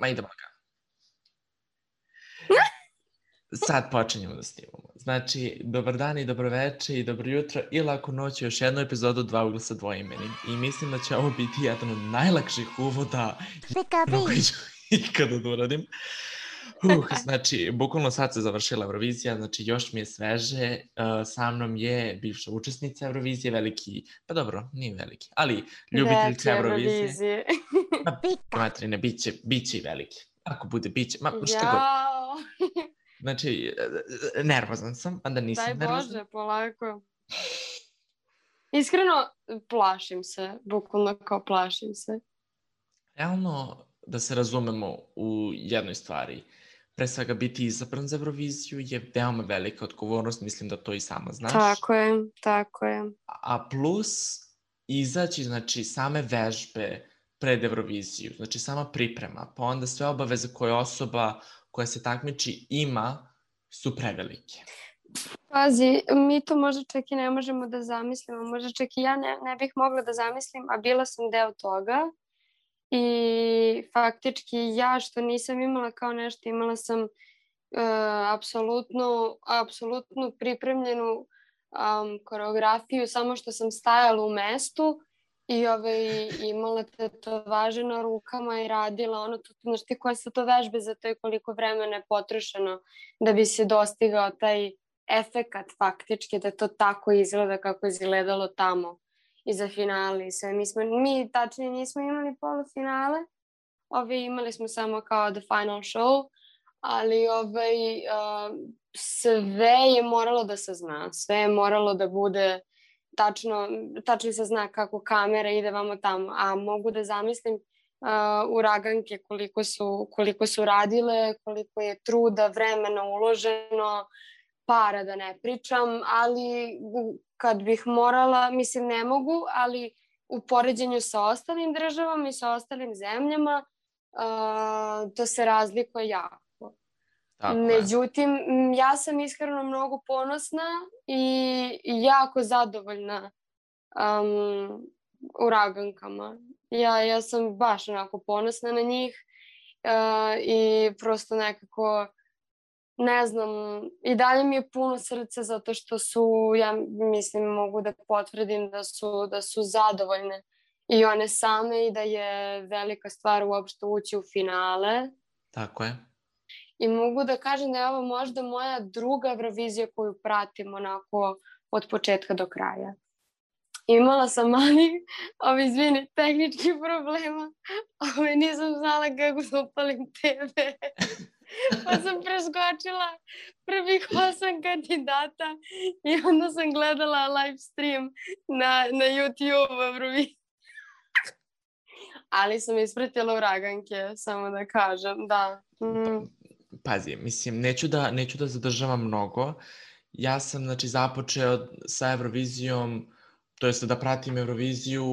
Ma idemo ga. Sad počinjemo da snimamo. Znači, dobar dan i dobro večer i dobro jutro i laku noć, još jednu epizodu Dva uglasa dvoimeni. I mislim da će ovo biti jedan od najlakših uvoda koji ću ikada da uradim. Znači, bukvalno sad se završila Eurovizija, znači još mi je sveže, sa mnom je bivša učesnica Eurovizije, veliki, pa dobro, nije veliki, ali ljubiteljka Eurovizije. Materine, bit će i veliki. Ako bude, bit će, šta god. Znači, nervozan sam, a da nisam nervozan. Daj Bože, polako. Iskreno, plašim se, bukvalno kao plašim se. Realno, da se razumemo u jednoj stvari, pre svega biti izabran za Euroviziju je veoma velika odgovornost, mislim da to i sama znaš. Tako je. A plus, izaći, znači, same vežbe pred Euroviziju, znači sama priprema, pa onda sve obaveze koje osoba koja se takmiči ima su prevelike. Pazi, mi to možda čak i ne možemo da zamislimo, možda čak i ja ne bih mogla da zamislim, a bila sam deo toga i faktički ja što nisam imala kao nešto, imala sam apsolutnu pripremljenu koreografiju, samo što sam stajala u mestu i imala tetovaže na rukama i radila ono, znaš ti koje su to vežbe, za to je koliko vremena je potrošeno da bi se dostigao taj efekat faktički, da to tako izgleda kako je izgledalo tamo i za finale i sve. Mi tačnije nismo imali polufinale, imali smo samo kao the final show, ali sve je moralo da se zna, sve je moralo da bude tačno se zna kako kamera ide vamo tamo, a mogu da zamislim uraganke koliko su radile, koliko je truda, vremena uloženo, para da ne pričam, ali kad bih morala, mislim ne mogu, ali u poređenju sa ostalim državama i sa ostalim zemljama to se razlikuje jako. Međutim, ja sam iskreno mnogo ponosna i jako zadovoljna uragankama. Ja sam baš onako ponosna na njih i prosto nekako, ne znam, i dalje mi je puno srca zato što su, ja mislim, mogu da potvrdim da su zadovoljne i one same i da je velika stvar uopšte ući u finale. Tako je. I mogu da kažem da je ovo možda moja druga Eurovizija koju pratim onako od početka do kraja. Imala sam mali, izvini, tehnički problema, nisam znala kako da upalim TV, pa sam preskočila prvih 8 kandidata i onda sam gledala live stream na YouTube Euroviziji. Ali sam ispratila uraganke, samo da kažem, da. Pazi, mislim, neću da zadržavam mnogo. Ja sam, znači, započeo sa Eurovizijom, to jest da pratim Euroviziju.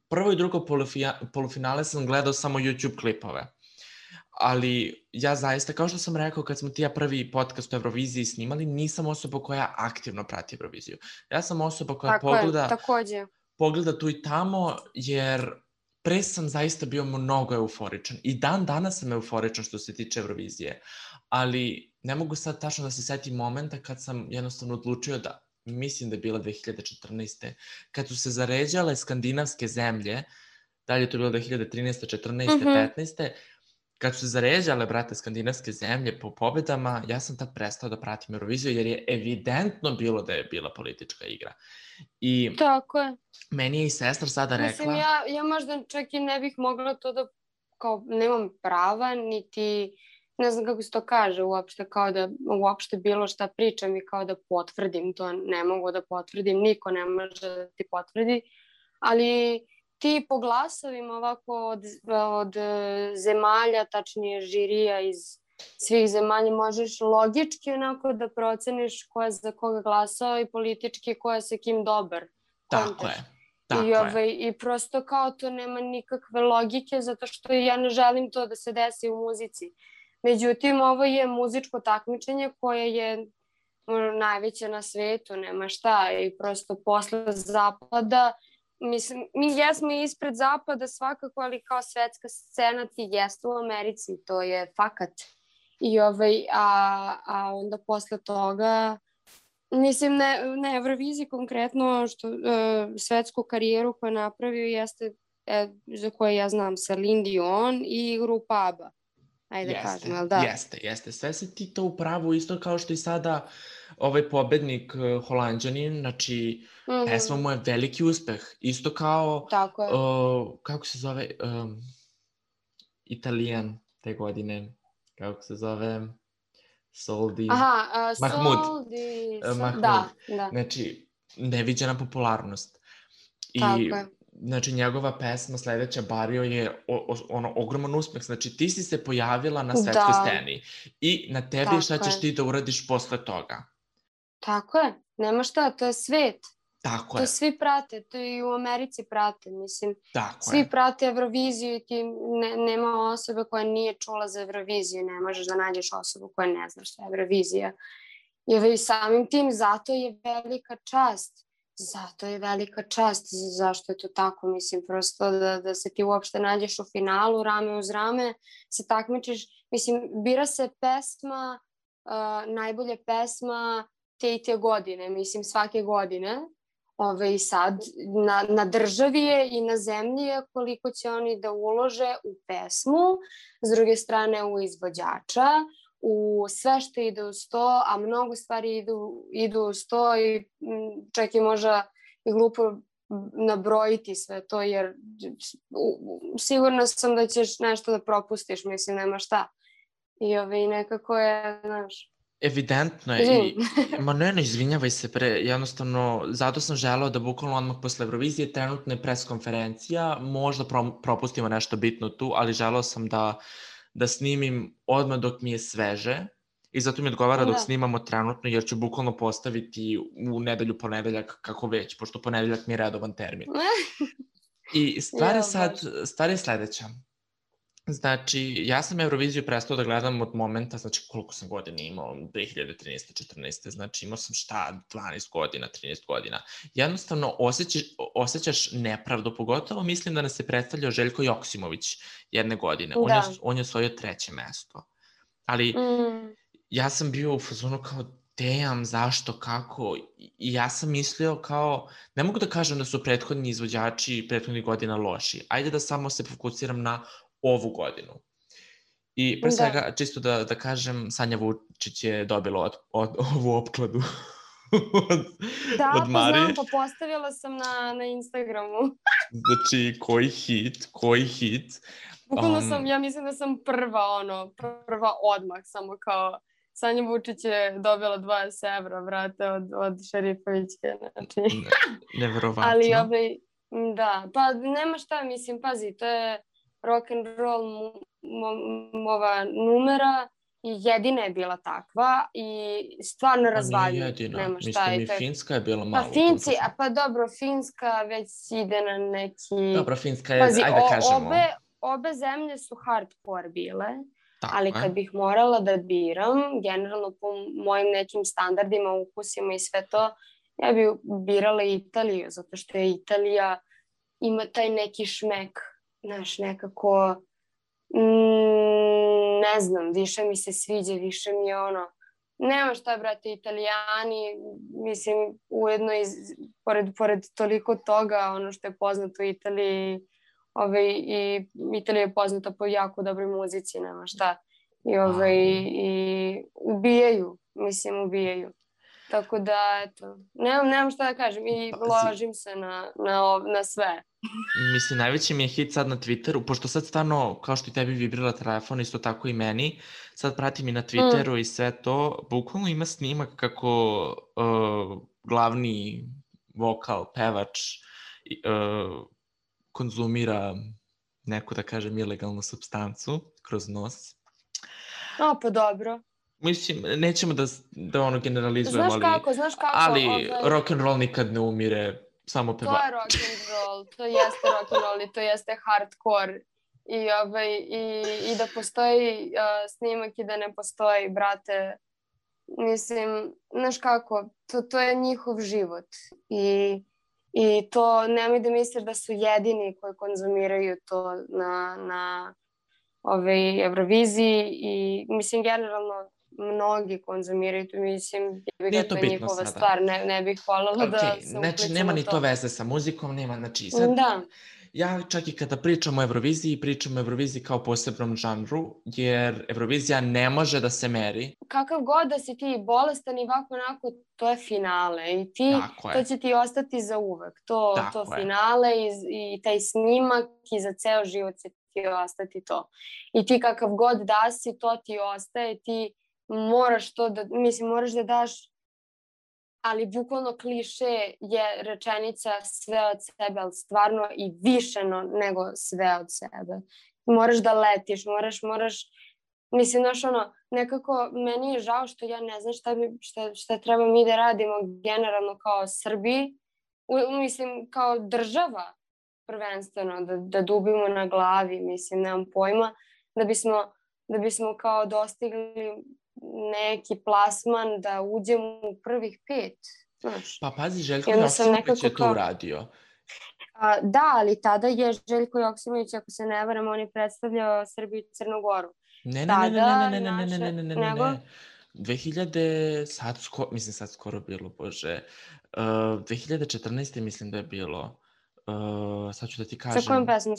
Prvo i drugo polufinale sam gledao samo YouTube klipove. Ali ja zaista, kao što sam rekao kad smo ti ja prvi podcast o Euroviziji snimali, nisam osoba koja aktivno prati Euroviziju. Ja sam osoba koja pogleda tu i tamo, jer pre sam zaista bio mnogo euforičan i dan danas sam euforičan što se tiče Eurovizije, ali ne mogu sad tačno da se setim momenta kad sam jednostavno odlučio da, mislim da je bila 2014. kad su se zaređale skandinavske zemlje, da li je to bilo 2013. 14. 15. Kad su se zaređale, brate, skandinavske zemlje po pobedama, ja sam tad prestao da pratim Euroviziju jer je evidentno bilo da je bila politička igra. I tako je. Meni je i sestra sada rekla... Mislim, ja možda čak i ne bih mogla to da, kao, nemam prava, niti, ne znam kako se to kaže uopšte, kao da uopšte bilo šta pričam i kao da potvrdim to, ne mogu da potvrdim, niko ne može da ti potvrdi, ali ti po glasovima ovako od zemalja, tačnije žirija iz svih zemalja, možeš logički onako da proceniš ko je za koga glasao i politički ko je sa kim dobar. Tako je. I prosto kao to nema nikakve logike zato što ja ne želim to da se desi u muzici. Međutim, ovo je muzičko takmičenje koje je najveće na svetu, nema šta. I prosto posle zapada mislim, mi jesmo ispred zapada svakako, ali kao svetska scena ti jeste u Americi, to je fakat. I a onda posle toga, mislim, ne Euroviziji konkretno, što svetsku karijeru koju je napravio jeste, za koje ja znam, Celine Dion i grupa ABBA. Ajde kažem, jel da? Jeste. Sve si ti to upravo isto kao što i sada ovaj pobednik Holanđanin, znači pesma mu je veliki uspeh. Isto kao, kako se zove, Italijan te godine, kako se zove, Soldi. Mahmud. Da. Znači, neviđena popularnost. I znači njegova pesma sledeća Barrio je ogroman uspeh. Znači ti si se pojavila na svetskoj sceni i na tebi je šta ćeš ti da uradiš posle toga. Tako je, nema šta, to je svet. Tako je. To svi prate, to i u Americi prate, mislim. Svi prate Euroviziju i ti nema osobe koja nije čula za Euroviziju, ne možeš da nađeš osobu koja ne zna šta je Eurovizija. I samim tim, zato je velika čast. Zašto je to tako, mislim, prosto da se ti uopšte nađeš u finalu, rame uz rame, se takmičiš, mislim, bira se pesma, najbolje pesma te i te godine, mislim, svake godine, i sad na državi je i na zemlji je koliko će oni da ulože u pesmu, s druge strane u izvođača, u sve što ide uz to, a mnogo stvari idu uz to i čak i možda i glupo nabrojiti sve to, jer sigurna sam da ćeš nešto da propustiš, mislim, nema šta. I nekako je, znaš... Evidentno je. Ma ne, izvinjavaj se jednostavno, zato sam želeo da bukvalno odmah posle Eurovizije trenutno je pres konferencija, možda propustimo nešto bitno tu, ali želeo sam da snimim odmah dok mi je sveže i zato mi odgovara dok snimamo trenutno, jer ću bukvalno postaviti u nedelju, ponedeljak, kako već, pošto ponedeljak mi je redovan termin. I stvar je sledeća. Znači, ja sam Euroviziju prestao da gledam od momenta, znači koliko sam godina imao, 2013. 14. Znači imao sam 12 godina, 13 godina. Jednostavno osjećaš nepravdu, pogotovo mislim da nas je predstavljao Željko Joksimović jedne godine. On je osvojio 3. mesto. Ali ja sam bio u fazonu kao, damn, zašto, kako? I ja sam mislio kao, ne mogu da kažem da su prethodni izvođači prethodnih godina loši. Ajde da samo se fokusiram na ovu godinu. I pre svega, čisto da kažem, Sanja Vučić je dobila ovu opkladu od Marije. Da, pa znam, pa postavila sam na Instagramu. Znači, koji hit. Bukvalno sam, ja mislim da sam prva odmah, samo kao Sanja Vučić je dobila 20 evra, vrate, od Šerifovićke, znači. Neverovatno. Ali da, pa nema šta, mislim, pazi, to je rock'n'roll ova numera i jedina je bila takva i stvarno razvaljena. Nije jedina, mislim i Finska je bila malo. Pa dobro, Finska već ide na neki... Dobro, Finska je, ajde da kažemo. Obe zemlje su hardcore bile, ali kad bih morala da biram, generalno po mojim nekim standardima, ukusima i sve to, ja bih birala Italiju, zato što je Italija ima taj neki šmek. Znaš, nekako, ne znam, više mi se sviđa, više mi je nema šta, brate, Italijani, mislim, ujedno i pored toliko toga, ono što je poznato u Italiji, i Italija je poznata po jako dobroj muzici, nema šta, i ubijaju. Tako da, eto, nemam šta da kažem i ložim se na sve. Mislim, najveći mi je hit sad na Twitteru, pošto sad stvarno, kao što i tebi vibrira telefon, isto tako i meni, sad pratim i na Twitteru i sve to, bukvalno ima snimak kako glavni vokal, pevač, konzumira neku, da kažem, ilegalnu supstancu kroz nos. Pa dobro. Mislim, nećemo da generalizujemo, Znaš kako, ali rock'n'roll nikad ne umire, samo peva. To je rock'n'roll, to jeste rock'n'roll i to jeste hardcore i da postoji snimak i da ne postoji, brate, mislim, znaš kako, to je njihov život i I to nemoj da misliš da su jedini koji konzumiraju to na Euroviziji i mislim generalno mnogi konzumiraju to, mislim Nije to to je bitno njihova sada. stvar, ne bih voljela da se Znači, upličem nema u ni to. to veze sa muzikom, nema, znači, sad, Da. ja čak i kada pričam o Euroviziji, pričam o Euroviziji kao posebnom žanru, jer Eurovizija ne može da se meri. Kakav god da si ti bolestan i ovako onako, to je finale i to će ti ostati za uvek. To finale i taj snimak i za ceo život će ti ostati to. I ti kakav god da si, to ti ostaje, ti moraš to da, mislim, moraš da daš, ali bukvalno kliše je rečenica sve od sebe, ali stvarno i više nego sve od sebe. Moraš da letiš, moraš, mislim, znaš, nekako meni je žao što ja ne znam šta treba mi da radimo generalno kao Srbiji, mislim, kao država prvenstveno, da dubimo na glavi, mislim, nemam pojma, da bismo kao dostigli neki plasman da uđemo u prvih 5, znaš. Pa pazi, Željko Joksimović je to uradio. Da, ali tada je Željko Joksimović, ako se ne varam, on je predstavljao Srbiju i Crnu Goru. Ne. 2000, sad skoro bilo, bože, 2014. mislim da je bilo, sad ću da ti kažem. Sa kojom pesmom?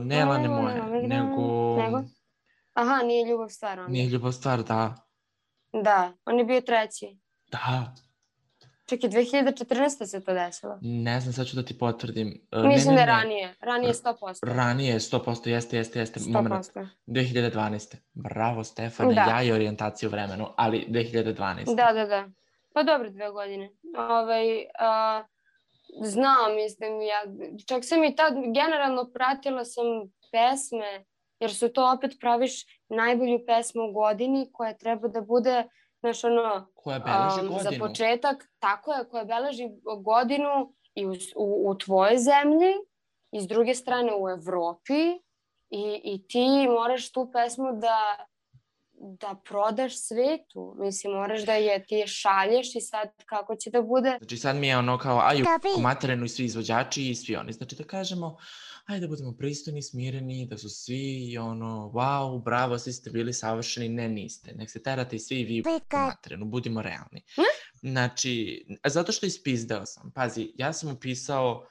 Ne Lane moje, nego... Aha, Nije ljubav stvar onda. Nije ljubav stvar, da. Da, on je bio 3. Da. Čekaj, 2014. se to desilo? Ne znam, sad ću da ti potvrdim. Mislim da je ranije 100%. Ranije 100%, jeste. 100%. 2012. Bravo, Stefane, ja i orijentaciju u vremenu, ali 2012. Da. Pa dobro, 2 godine. Znam, mislim, čak sam i tad generalno pratila sam pesme, jer su to opet praviš najbolju pesmu u godini koja treba da bude, znaš, koja beleži godinu. Za početak, tako je, koja beleži godinu i u tvojoj zemlji i s druge strane u Evropi i ti moraš tu pesmu da prodaš svetu. Mislim, moraš da ti šalješ i sad kako će da bude. Znači sad mi je kao, u materinu i svi izvođači i svi oni. Znači da kažemo, ajde da budemo pristojni, smireni, da su svi wow, bravo, svi ste bili savršeni. Ne, niste. Nek se terate i svi vi u materinu, budimo realni. Znači, zato što ispizdeo sam. Pazi, ja sam upisao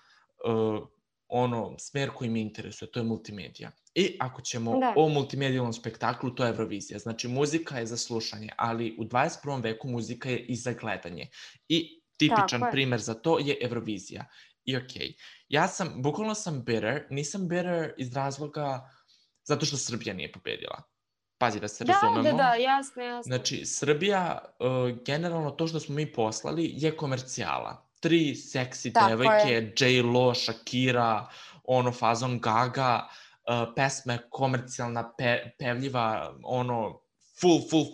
smer koji mi interesuje, to je multimedija. I ako ćemo o multimedijalnom spektaklu, to je Eurovizija. Znači, muzika je za slušanje, ali u 21. veku muzika je i za gledanje. I tipičan primer za to je Eurovizija. I okej, bukvalno sam bitter, nisam bitter iz razloga zato što Srbija nije pobedila. Pazi, da se razumemo. Da, jasno. Znači, Srbija, generalno to što smo mi poslali je komercijala. 3 seksi devojke, J-Lo, Shakira, fazon Gaga, pesma je komercijalna, pevljiva,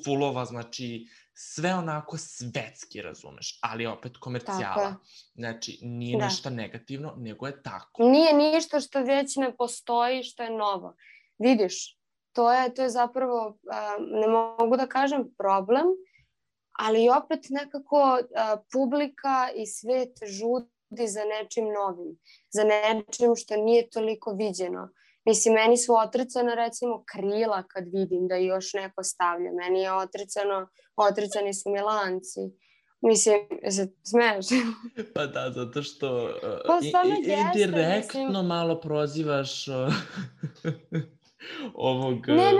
fullova, znači sve onako svetski, razumeš, ali opet komercijala. Znači, nije ništa negativno, nego je tako. Nije ništa što već ne postoji, što je novo. Vidiš, to je zapravo, ne mogu da kažem problem, ali opet nekako publika i svet žudi za nečim novim, za nečim što nije toliko viđeno. Mislim, meni su otrcana, recimo, krila kad vidim da još neko stavlja. Meni je otrcani su Milanci. Mislim, se smeješ? Pa da, zato što indirektno malo prozivaš ovog... Ne,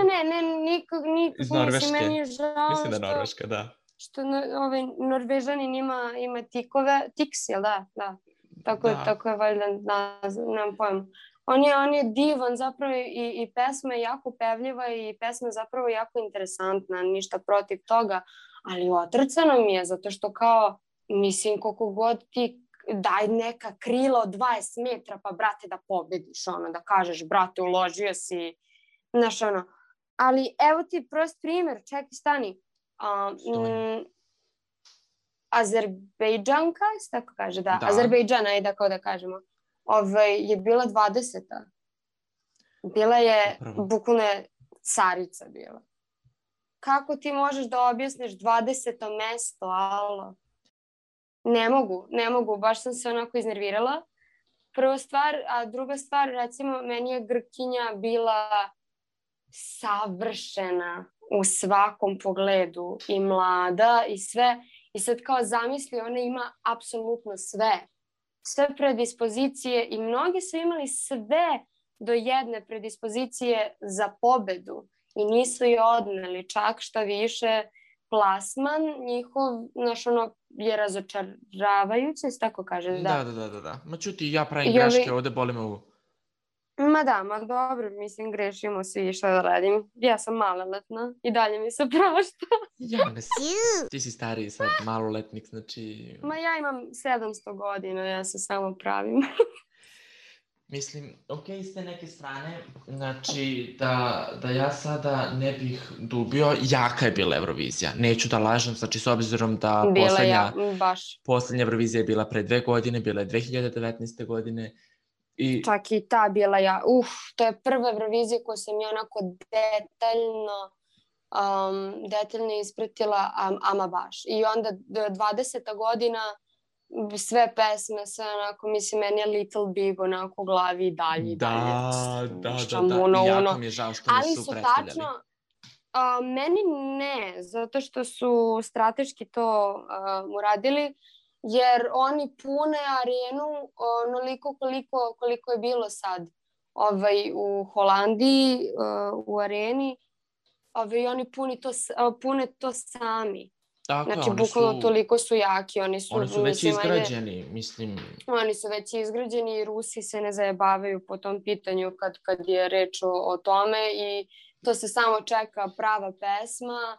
nikog. Iz Norveške. Meni je žao mislim da Norveška, da. Što Norvežanin ima tikove, tiks, jel da? Da. Tako je valjda, nemam pojma. On je divan zapravo i pesma je jako pevljiva i pesma je zapravo jako interesantna, ništa protiv toga, ali otrcano mi je zato što kao, mislim, koliko god ti daj neka krila od 20 metra pa brate da pobediš, da kažeš brate uložio si, znaš ali evo ti prost primjer, čekaj stani, Azerbejdžanka, se tako kaže, da. Azerbejdžana je tako da kažemo. Je bila 20. Bila je, bukvalno je carica bila. Kako ti možeš da objasniš 20. mesto, alo? ne mogu, baš sam se onako iznervirala. Prva stvar, a druga stvar, recimo, meni je Grkinja bila savršena u svakom pogledu i mlada i sve. I sad kao zamisli, ona ima apsolutno sve predispozicije i mnogi su imali sve do jedne predispozicije za pobedu i nisu je odneli, čak šta više plasman njihov, znaš, ono, je razočaravajuće, tako kaže, da. Da. Ma čuti, ja pravim greške, ovde boli me ovo. Ma dobro, mislim, grešimo svi, šta da radim. Ja sam maloletna i dalje mi se prašta. Ja ne ti si stariji sad, maloletnik, znači... Ma ja imam 700 godina, ja se samo pravim. Mislim, okej, s te neke strane, znači da ja sada ne bih dubio, jaka je bila Eurovizija. Neću da lažem, znači s obzirom da poslednja Eurovizija je bila pre 2 godine, bila je 2019. godine. Čak i ta bila to je prva Eurovizija koju sam ja onako detaljno ispratila, ama baš. I onda 20. godina sve pesme se onako, mislim, meni je Little Big onako u glavi i dalje. Da. I jako mi je žao što nisu predstavljali. Ali su tačno, meni ne, zato što su strateški to uradili, jer oni pune arenu onoliko koliko je bilo sad u Holandiji u areni, i oni pune to sami. Dakle, znači, bukvalno toliko su jaki. Oni su već izgrađeni, mislim. Oni su već izgrađeni i Rusi se ne zajebavaju po tom pitanju kad je reč o tome i to se samo čeka prava pesma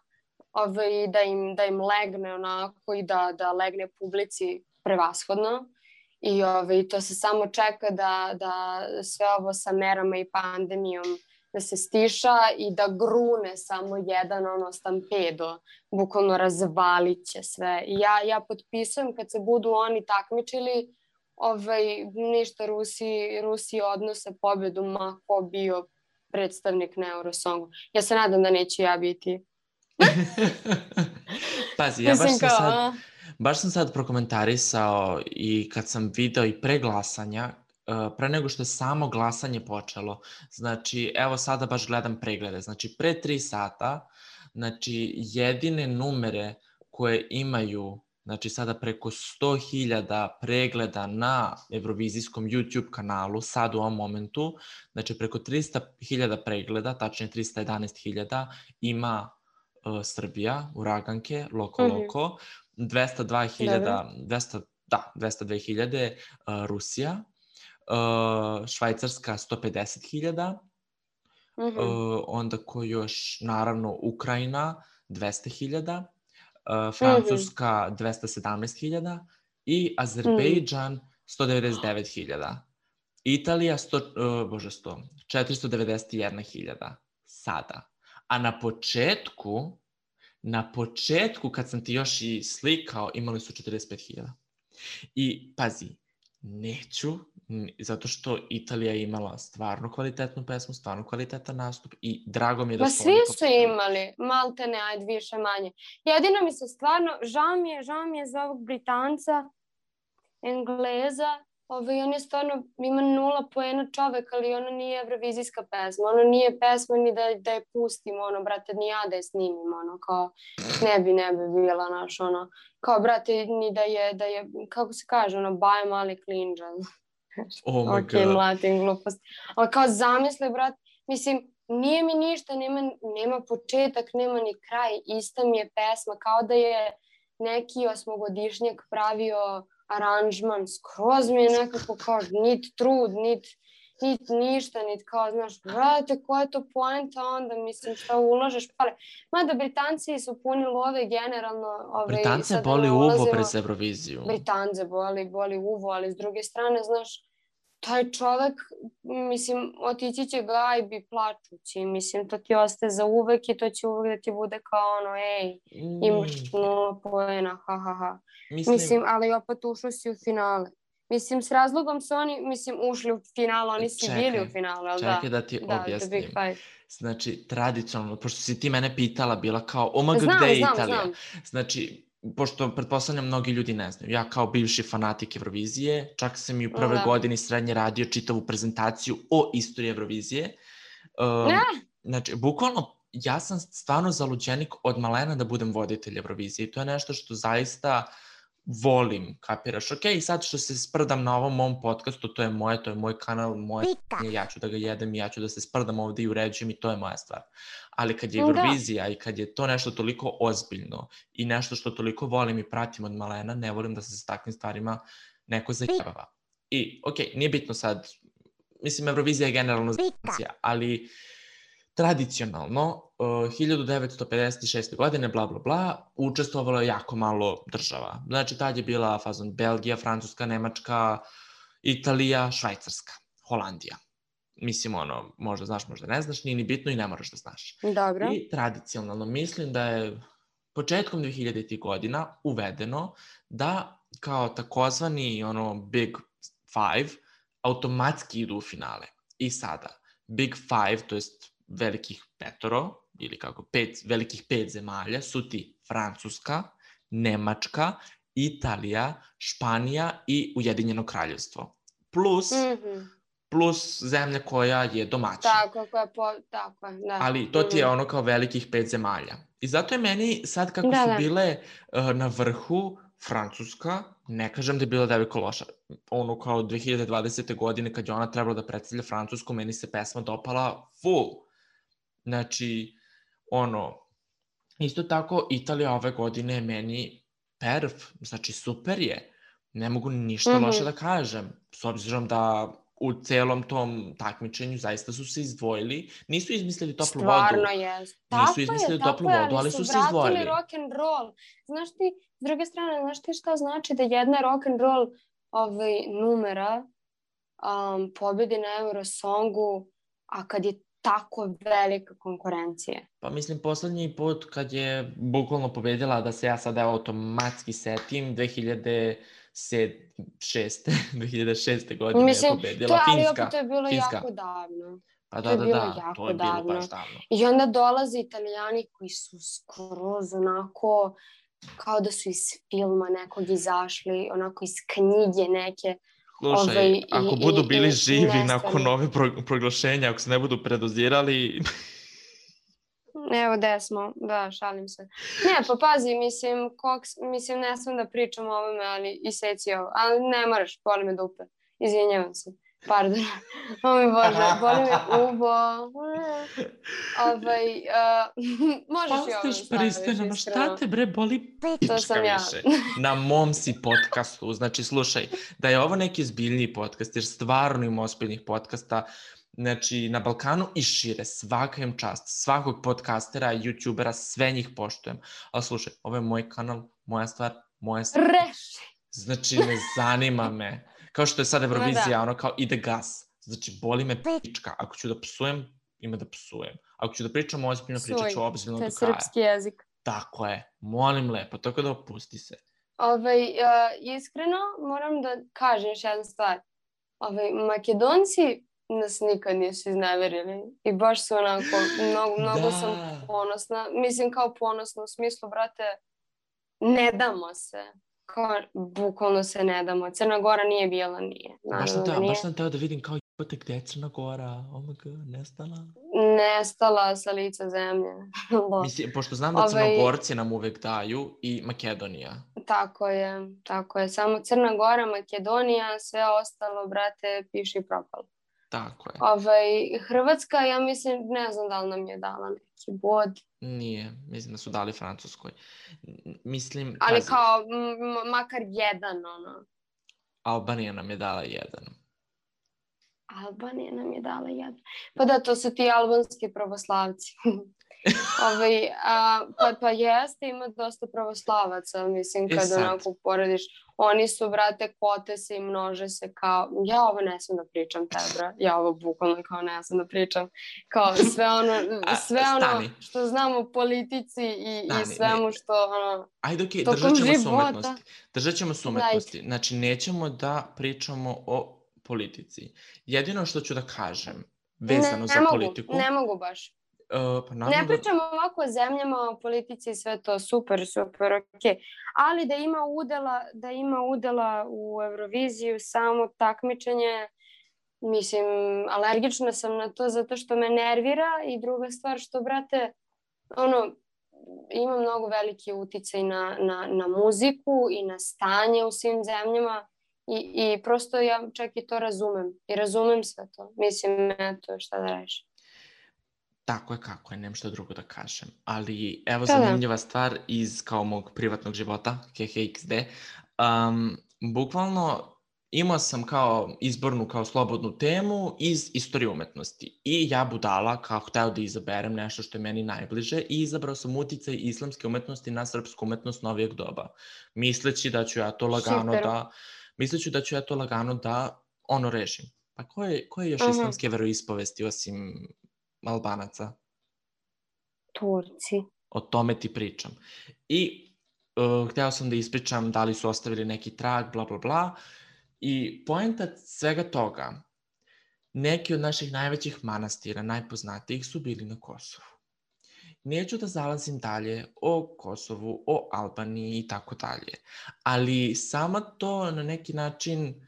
da im legne onako i da legne publici prevashodno. I to se samo čeka da sve ovo sa merama i pandemijom da se stiša i da grune samo jedan stampedo, bukvalno razvalit će sve. I ja potpisujem kad se budu oni takmičili, ništa Rusi odnose pobedu ma ko bio predstavnik na Eurosongu. Ja se nadam da neću ja biti. Pazi, ja baš sam sad prokomentarisao i kad sam video i pre glasanja, pre nego što je samo glasanje počelo, znači evo sada baš gledam preglede, znači pre 3 sata, znači jedine numere koje imaju, znači sada preko 100.000 pregleda na Eurovizijskom YouTube kanalu, sad u ovom momentu, znači preko 300.000 pregleda, tačnije 311.000 ima Srbija, Uraganke, Loko, 202.000 Rusija, Švajcarska 150.000, onda ko još, naravno Ukrajina 200.000, Francuska 217.000 i Azerbejdžan 199.000. Italija 491.000 sada. A na početku kad sam ti još i slikao, imali su 45.000. I pazi, neću, zato što Italija je imala stvarno kvalitetnu pesmu, stvarno kvalitetan nastup i drago mi je da su oni... Svi su imali, malte ne, ajde više manje. Jedino mi se stvarno, žao mi je za ovog Britanca, Engleza, on je stvarno, ima 0 poena čovek, ali ono nije evrovizijska pesma, ono nije pesma ni da je pustim, brate, ni ja da je snimim, kao, ne bi bila, kao, brate, ni da je, kako se kaže, baje mali klinđan. Oh my god. Ok, mlatim glupost. Ali kao, zamisli, brate, mislim, nije mi ništa, nema početak, nema ni kraj, ista mi je pesma, kao da je neki 8-godišnjak pravio aranžman, skroz mi je nekako kao nit trud, nit ništa, nit kao, znaš, brate, koja je to poenta onda, mislim, šta ulažeš pare. Mada Britanci su puni love generalno. Britance boli uvo pred Euroviziju. Britance boli uvo, ali s druge strane, znaš, taj čovek, mislim, otići će gajbi plačući, mislim, to ti ostaje za uvek i to će uvek da ti bude kao imaš 0 poena, ha. Mislim, ali opet ušao si u finale. Mislim, s razlogom su oni, ušli u finale, oni su bili u finale, ali da. Čekaj da ti objasnim. Znači, tradicionalno, pošto si ti mene pitala, bila kao, gde je Italija? Znači, pošto pretpostavljam mnogi ljudi ne znaju, ja kao bivši fanatik Eurovizije, čak sam i u prvoj godini srednje radio čitavu prezentaciju o istoriji Eurovizije. Znači, bukvalno, ja sam stvarno zaluđenik od malena da budem voditelj Eurovizije i to je nešto što zaista volim, kapiraš? Ok, i sad što se sprdam na ovom mom podcastu, to je moj kanal, ja ću da ga jedem, ja ću da se sprdam ovde i uređujem i to je moja stvar. Ali kad je Eurovizija i kad je to nešto toliko ozbiljno i nešto što toliko volim i pratim od malena, ne volim da se sa takvim stvarima neko zajebava. I, ok, nije bitno sad, mislim, Eurovizija je generalno zajebancija, ali tradicionalno, 1956. godine, bla, bla, bla, učestvovalo je jako malo država. Znači, tad je bila fazon Belgija, Francuska, Nemačka, Italija, Švajcarska, Holandija. Mislim, možda znaš, možda ne znaš, nije ni bitno i ne moraš da znaš. Dobro. I tradicionalno mislim da je početkom 2000. godina uvedeno da kao takozvani Big Five automatski idu u finale. I sada, Big Five, to jest velikih petoro, ili kako, velikih 5 zemalja, su ti Francuska, Nemačka, Italija, Španija i Ujedinjeno kraljevstvo. Plus zemlja koja je domaćin. Tako je, da. Ali to ti je kao velikih 5 zemalja. I zato je meni sad kako su bile na vrhu Francuska, ne kažem da je bila devojka loša. Kao 2020. godine kad je ona trebala da predstavlja Francusku, meni se pesma dopala full. Znači, isto tako Italija ove godine je meni znači super je. Ne mogu ništa loše da kažem, s obzirom da u celom tom takmičenju zaista su se izdvojili. Nisu izmislili toplu vodu. Stvarno je. Nisu izmislili toplu vodu, ali su se izdvojili. Vratili rock'n'roll. Znaš ti, s druge strane, znaš ti šta znači da jedna rock'n'roll numera pobedi na Eurosongu, a kad je tako velika konkurencija? Pa mislim, poslednji put kad je bukvalno pobedila, da se ja sad automatski setim, 2006. godine je pobedila Finska. Ali opet to je bilo jako davno. Pa da, to je bilo baš davno. I onda dolaze Italijani koji su skroz onako, kao da su iz filma nekog izašli, onako iz knjige neke. Slušaj, ako budu bili živi nakon ove proglašenja, ako se ne budu predozirali... Evo gde smo, da, šalim se. Ne, pa pazi, mislim, ne sam da pričam o ovome, ali iseci ovo. Ali ne moraš, boli me dupe. Izvinjavam se. Pardon. O mi Bože, boli me uvo. Možeš i ovo staviš, iskreno. Šta te bre boli pička više? Na mom si podcastu. Znači, slušaj, da je ovo neki zbiljniji podcast, jer stvarno ima ozbiljnih podcasta, znači, na Balkanu i šire, svaka im čast, svakog podcastera, youtubera, sve njih poštujem. Ali slušaj, ovo je moj kanal, moja stvar. Reši! Znači, ne zanima me. Kao što je sad Eurovizija, kao ide gas. Znači, boli me pička. Ako ću da psujem, ima da psujem. Ako ću da pričam ozbiljno, pričat ću ozbiljno do kraja. To je srpski jezik. Tako je. Molim lepo, tako da opusti se. Iskreno, moram da kažem još jednu stvar. Makedonci nas nikad nisu izneverili i baš su onako, mnogo sam ponosna. Mislim kao ponosna u smislu, brate, ne damo se. Kao, bukvalno se ne damo. Crna Gora nije bila, nije. Baš sam teo da vidim kao jebote gde je Crna Gora. Oh my god, nestala. Nestala sa lica zemlje. Mislim, pošto znam da Crnogorci nam uvek daju i Makedonija. Tako je. Samo Crna Gora, Makedonija, sve ostalo, brate, piši i propalo. Tako je. Hrvatska, ja mislim, ne znam da li nam je dala neki bod. Nije, mislim da su dali Francuskoj. Mislim... Ali kao, makar jedan, Albanija nam je dala jedan. Albanija nam je dala jedan. Pa da, to su ti albanski pravoslavci. Pa jeste, ima dosta pravoslavaca, mislim, kad onako porediš. Oni su, brate, kote se i množe se kao, ja ovo ne sam da pričam tebra, ja ovo bukvalno kao ne sam da pričam, kao sve ono što znam o politici i svemu što, ajde, okej, držat ćemo se umetnosti. Znači, nećemo da pričamo o politici. Jedino što ću da kažem, vezano za politiku... Ne mogu baš. Pa Ne naravno da... pričam ovako o zemljama, o politici i sve to, super, okej. Ali da ima udela u Euroviziju samo takmičenje, mislim, alergična sam na to zato što me nervira i druga stvar što, brate, ono, ima mnogo veliki uticaj na muziku i na stanje u svim zemljama i prosto ja čak i to razumem. I razumem sve to. Mislim, eto, šta da reći. Tako je kako je, nemam šta drugo da kažem. Ali evo Da. zanimljiva stvar iz kao mog privatnog života, KHXD. Bukvalno imao sam kao izbornu, kao slobodnu temu iz istorije umetnosti. I ja budala kao hteo da izaberem nešto što je meni najbliže i izabrao sam uticaj islamske umetnosti na srpsku umetnost novijeg doba. Misleći da ću ja to lagano da ono rešim. Pa koje još islamske veroispovesti osim Albanaca? Turci. O tome ti pričam. I hteo sam da ispričam da li su ostavili neki trag, bla, bla, bla. I poenta svega toga, neki od naših najvećih manastira, najpoznatijih, su bili na Kosovu. Neću da zalazim dalje o Kosovu, o Albaniji i tako dalje. Ali samo to na neki način,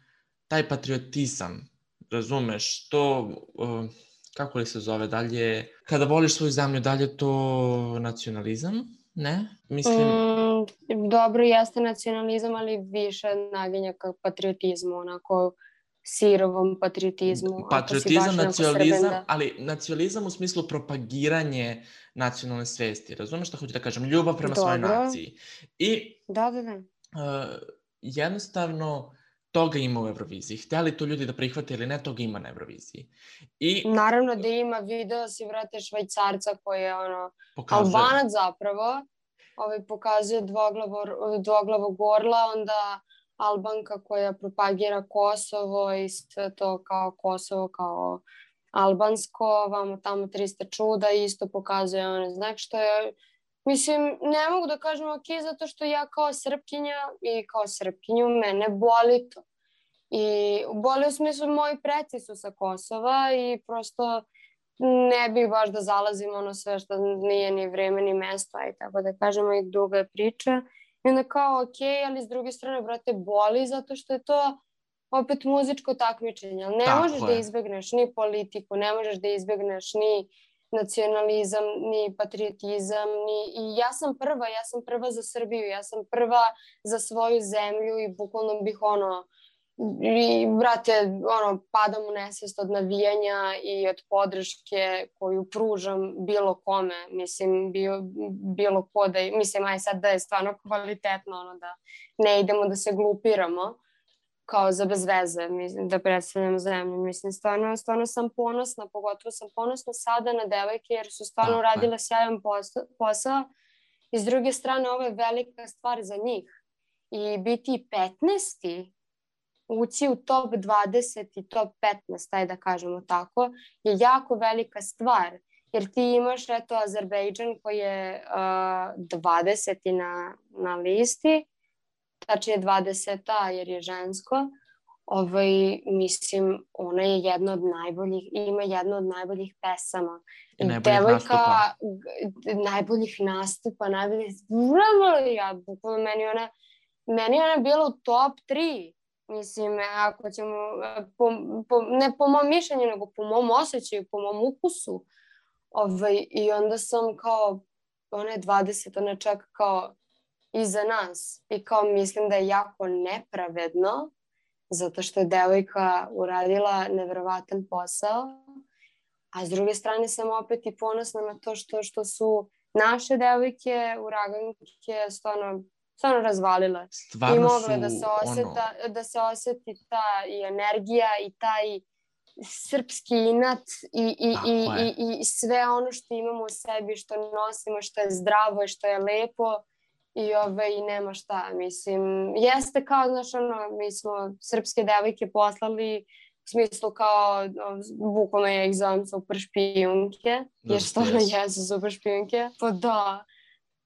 taj patriotizam, razumeš, to... kako li se zove dalje, kada voliš svoju zemlju, dalje to nacionalizam, ne? Mislim... Dobro, jeste nacionalizam, ali više naginja ka patriotizmu, onako sirovom patriotizmu. Patriotizam, nacionalizam, ali nacionalizam u smislu propagiranje nacionalne svesti, razumeš šta hoću da kažem? Ljubav prema svojoj naciji. I jednostavno... toga ima u Euroviziji. Hteli to ljudi da prihvate ili ne, toga ima na Euroviziji. Naravno da ima, video si, vrate, Švajcarca koji je Albanac zapravo, pokazuje dvoglavog orla, onda Albanka koja propagira Kosovo i sve to kao Kosovo, kao albansko, vamo tamo 300 čuda, isto pokazuje znak što je... Mislim, ne mogu da kažem ok, zato što ja kao Srpkinja i kao Srpkinju mene boli to. I boli u smislu moji preci su sa Kosova i prosto ne bih baš da zalazim sve što nije ni vreme ni mesto, i tako da kažemo, i duga je priča. I onda kao ok, ali s druge strane, brate, boli zato što je to opet muzičko takmičenje. Ne možeš da izbegneš ni politiku, ne možeš da izbegneš ni nacionalizam, ni patriotizam, i ja sam prva za Srbiju, ja sam prva za svoju zemlju i bukvalno bih i brate, padam u nesvest od navijanja i od podrške koju pružam bilo kome, mislim, bilo ko da je, mislim, aj sad da je stvarno kvalitetno, da ne idemo da se glupiramo kao za bez veze, mislim, da predstavljam zemlju. Mislim, stvarno sam ponosna, pogotovo sam ponosna sada na devojke jer su stvarno uradile sjajan posao i s druge strane ovo je velika stvar za njih. I biti 15. ući u top 20 i top 15, taj da kažemo tako, je jako velika stvar. Jer ti imaš, eto, Azerbejdžan koji je 20. na listi, tačnije 20. jer je žensko. Mislim, ona je jedna od najboljih, ima jedna od najboljih pesama. I najboljih nastupa. Najboljih nastupa, bukvalno meni ona bila u top 3. Mislim, ako ćemo, ne po mom mišljenju, nego po mom osjećaju, po mom ukusu. I onda sam kao, ona je 20, ona je čak kao iza nas. I kao mislim da je jako nepravedno, zato što je devojka uradila neverovatan posao. A s druge strane sam opet i ponosna na to što su naše devojke, uraganke, stvarno razvalile. I mogle da se osjeti ta i energija i taj srpski inat i sve ono što imamo u sebi, što nosimo, što je zdravo i što je lepo i nema šta. Mislim, jeste kao, znaš, mi smo srpske devojke poslali u smislu kao, bukvalno ja ih zovem super špijunke, jer stvarno jesu super špijunke. Pa da.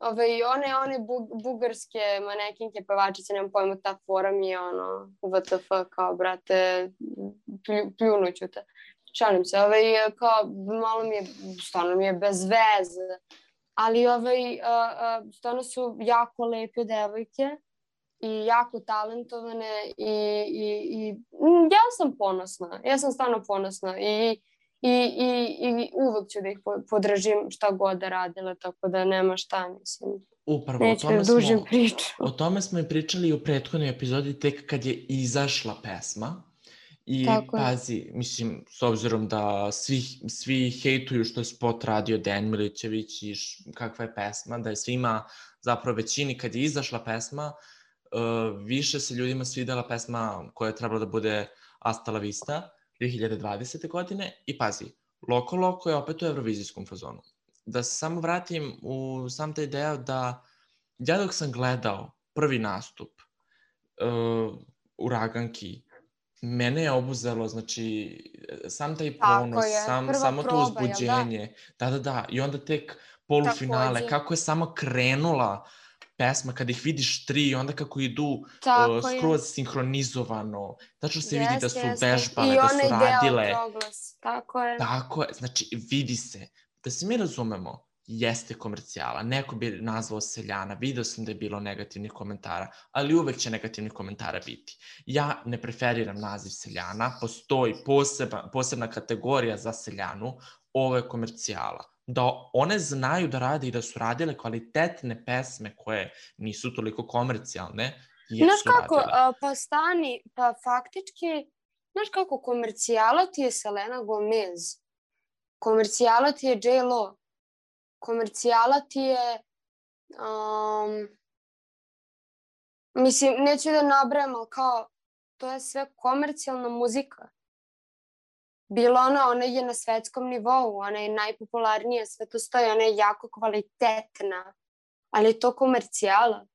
One bugarske manekinke, pevačice, nemam pojma, ta fora mi je WTF, kao, brate, pljunuću te. šalim se, kao malo mi je, stvarno mi je bez veze, ali stvarno su jako lepe devojke i jako talentovane i ja sam ponosna, ja sam stvarno ponosna i uvek ću da ih podržim šta god da radile, tako da nema šta, mislim. Upravo, Neću da dužim priču. O tome smo i pričali u prethodnoj epizodi tek kad je izašla pesma. I Tako je. pazi, mislim, s obzirom da svi hejtuju što je spot radio Dejan Milićević i kakva je pesma, da je svima, zapravo većini, kad je izašla pesma, više se ljudima svidela pesma koja je trebala da bude Hasta la Vista 2020. godine i pazi, Loko je opet u evrovizijskom fazonu. Da se samo vratim u sam taj deo da ja dok sam gledao prvi nastup Uraganki, mene je obuzelo, znači, sam taj ponos, samo to uzbuđenje. Da. I onda tek polufinale, takođe. Kako je samo krenula pesma, kada ih vidiš tri, onda kako idu skroz sinhronizovano. Tačno se vidi da su vežbale, da su radile. I onaj deo proglas, tako je. Tako je, znači, vidi se. Da se mi razumemo, jeste komercijala. Neko bi nazvao seljana, video sam da je bilo negativnih komentara, ali uvek će negativnih komentara biti. Ja ne preferiram naziv seljana, postoji posebna kategorija za seljanu, ovo je komercijala. Da one znaju da rade i da su radile kvalitetne pesme koje nisu toliko komercijalne, jesu radile. Pa faktički, znaš kako, komercijala ti je Selena Gomez, komercijala ti je J.Lo, komercijala ti je, mislim, neću da nabrajam, ali kao, to je sve komercijalna muzika. Bilo ona je na svetskom nivou, ona je najpopularnija, sve to stoji, ona je jako kvalitetna, ali je to komercijala.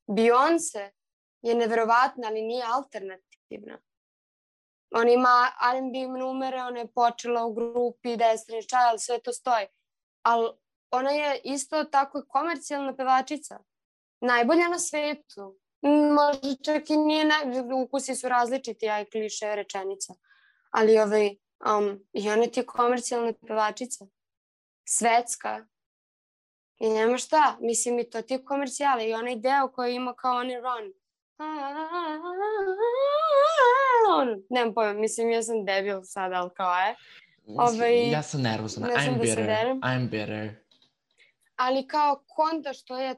Beyoncé je neverovatna, ali nije alternativna. Ona ima R&B numere, ona je počela u grupi Destiny's Child, sve to stoji. Ali ona je isto tako komercijalna pevačica. Najbolja na svetu. Možda čak i nije, ukusi su različiti, ja i kliše rečenica. Ali i ona ti je komercijalna pevačica. Svetska. I nema šta. Mislim, i to ti je komercijala. I onaj deo koji ima kao onaj run. Nemam pojma, mislim, ja sam debil sad, ali kao je. Ja sam nervozna. I'm bitter. Ali kao konta što je,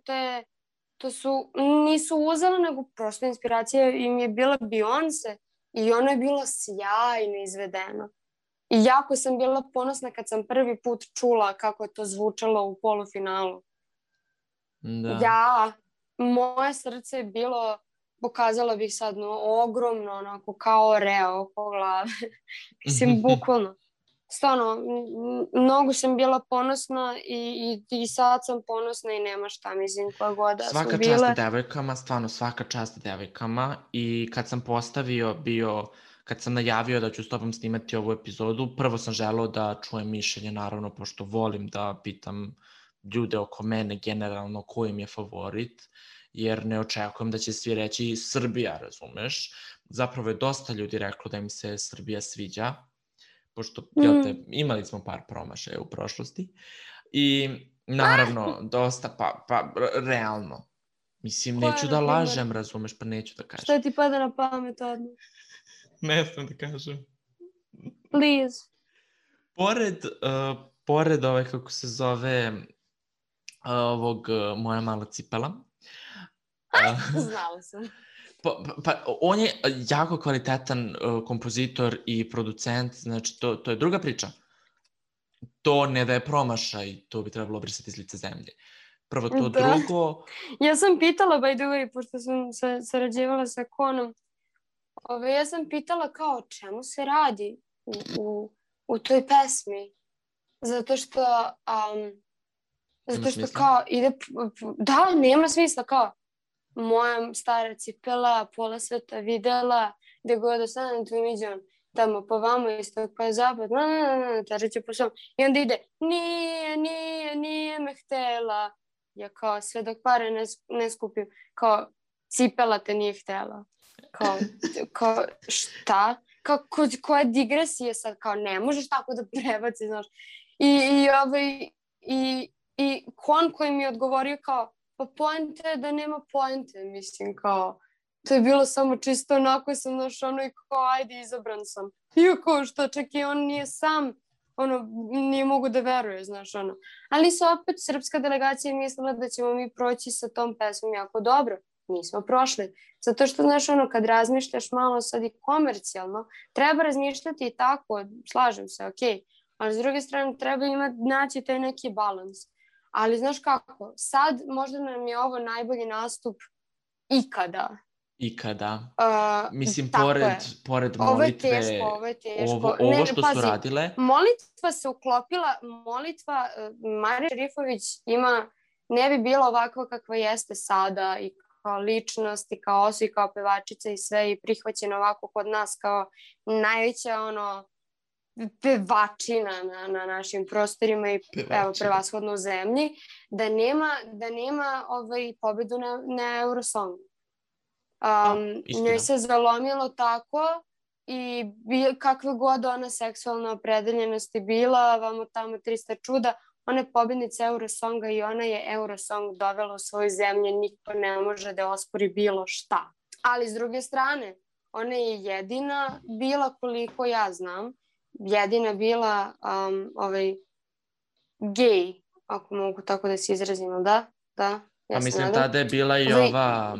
nisu uzela, nego prosto inspiracija im je bila Beyoncé i ona je bila sjajno izvedena. I jako sam bila ponosna kad sam prvi put čula kako je to zvučalo u polufinalu. Da. Moje srce je bilo, pokazala bih sad, ogromno, onako kao oreo oko glave. Mislim, bukvalno. Stvarno, mnogo sam bila ponosna i sad sam ponosna i nema šta, mislim, koja god da smo bile. Svaka čast devojkama, stvarno svaka čast devojkama i kad sam kad sam najavio da ću s tobom snimati ovu epizodu, prvo sam želeo da čujem mišljenje, naravno, pošto volim da pitam ljude oko mene generalno ko im je favorit, jer ne očekujem da će svi reći Srbija, razumeš? Zapravo je dosta ljudi reklo da im se Srbija sviđa, pošto imali smo par promašaja u prošlosti i naravno dosta, pa realno. Mislim, neću da lažem, razumeš, pa neću da kažem. Šta ti pada na pamet odmah? Ne znam da kažem. Please. Pored kako se zove, ovog Moja mala cipela. Znala sam. Pa on je jako kvalitetan kompozitor i producent, znači to je druga priča. To ne da je promašaj, to bi trebalo brisati iz lice zemlje. Prvo to, drugo... Ja sam pitala, by the way, pošto sam sarađivala sa Konom, ja sam pitala kao o čemu se radi u toj pesmi. Zato što kao ide... Da, nema smisla, kao moja stara cipela, pola sveta videla, gde god ostanem tvojim iđom, tamo po vama, istok pa je zapad, tražeće po svom. I onda ide, nije me htela. Ja kao, sve dok pare ne skupim, kao, cipela te nije htela. Kao, šta? Koja digresija sad, kao ne možeš tako da prebaci, znaš. I Kon koji mi je odgovorio kao, pa poenta je da nema poente, mislim, kao, to je bilo samo čisto onako sam, znaš, ono i kao, ajde, izabran sam. Iako što čak i on nije sam, ono, nije mogu da veruje, znaš, ono. Ali su opet srpska delegacija mislila da ćemo mi proći sa tom pesmom jako dobro. Nismo prošli. Zato što, znaš, ono, kad razmišljaš malo sad i komercijalno, treba razmišljati i tako, slažem se, okej. Ali s druge strane treba naći taj neki balans. Ali znaš kako, sad možda nam je ovo najbolji nastup ikada. Mislim, pored molitve, ovo je teško. Ovo što su radile. Molitva se uklopila, Marija Šerifović ne bi bila ovakva kakva jeste sada i kao ličnost i kao osoba i kao pevačica i sve i prihvaćena ovako kod nas kao najveća pevačina na našim prostorima i prevashodno u zemlji, da nema pobedu na Eurosongu. Njoj se zalomilo tako i kakve god ona seksualna opredeljenost je bila, vamo tamo 300 čuda, ona je pobednica Eurosonga i ona je Eurosong dovela u svoju zemlju, niko ne može da ospori bilo šta. Ali s druge strane, ona je jedina bila, koliko ja znam, jedina bila gej, ako mogu tako da se izrazimo, da. A mislim, tada je bila i ova,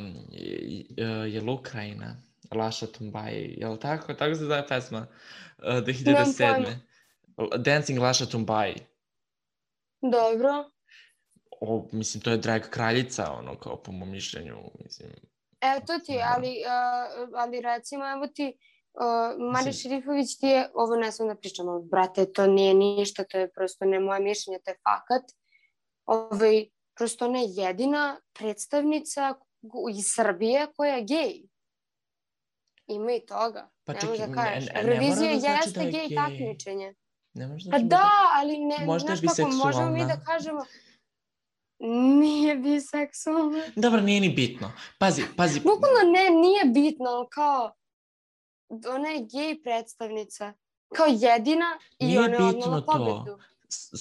je li Ukrajina, Laša Tumbaj, je li tako? Tako se zove pesma, 2007. Dancing Laša Tumbaj. Dobro. Mislim, to je drag kraljica, ono, kao po mom mišljenju, mislim. To ti, ali recimo, evo ti, Marija Šerifović ti je, ovo ne sam da pričam, ali brate, to nije ništa, to je prosto ne moje mišljenje, to je fakat. Prosto ona je jedina predstavnica iz Srbije koja je gej. Ima i toga. Pa ne možeš da kažeš. Eurovizija jeste gej takmičenje. Pa da, ali ne, znaš kako, možemo mi da kažemo nije biseksualna. Dobro, nije ni bitno. Pazi. Bukvalno nije bitno, ali kao ona je gej predstavnica. Kao jedina i ona je odnala pobedu.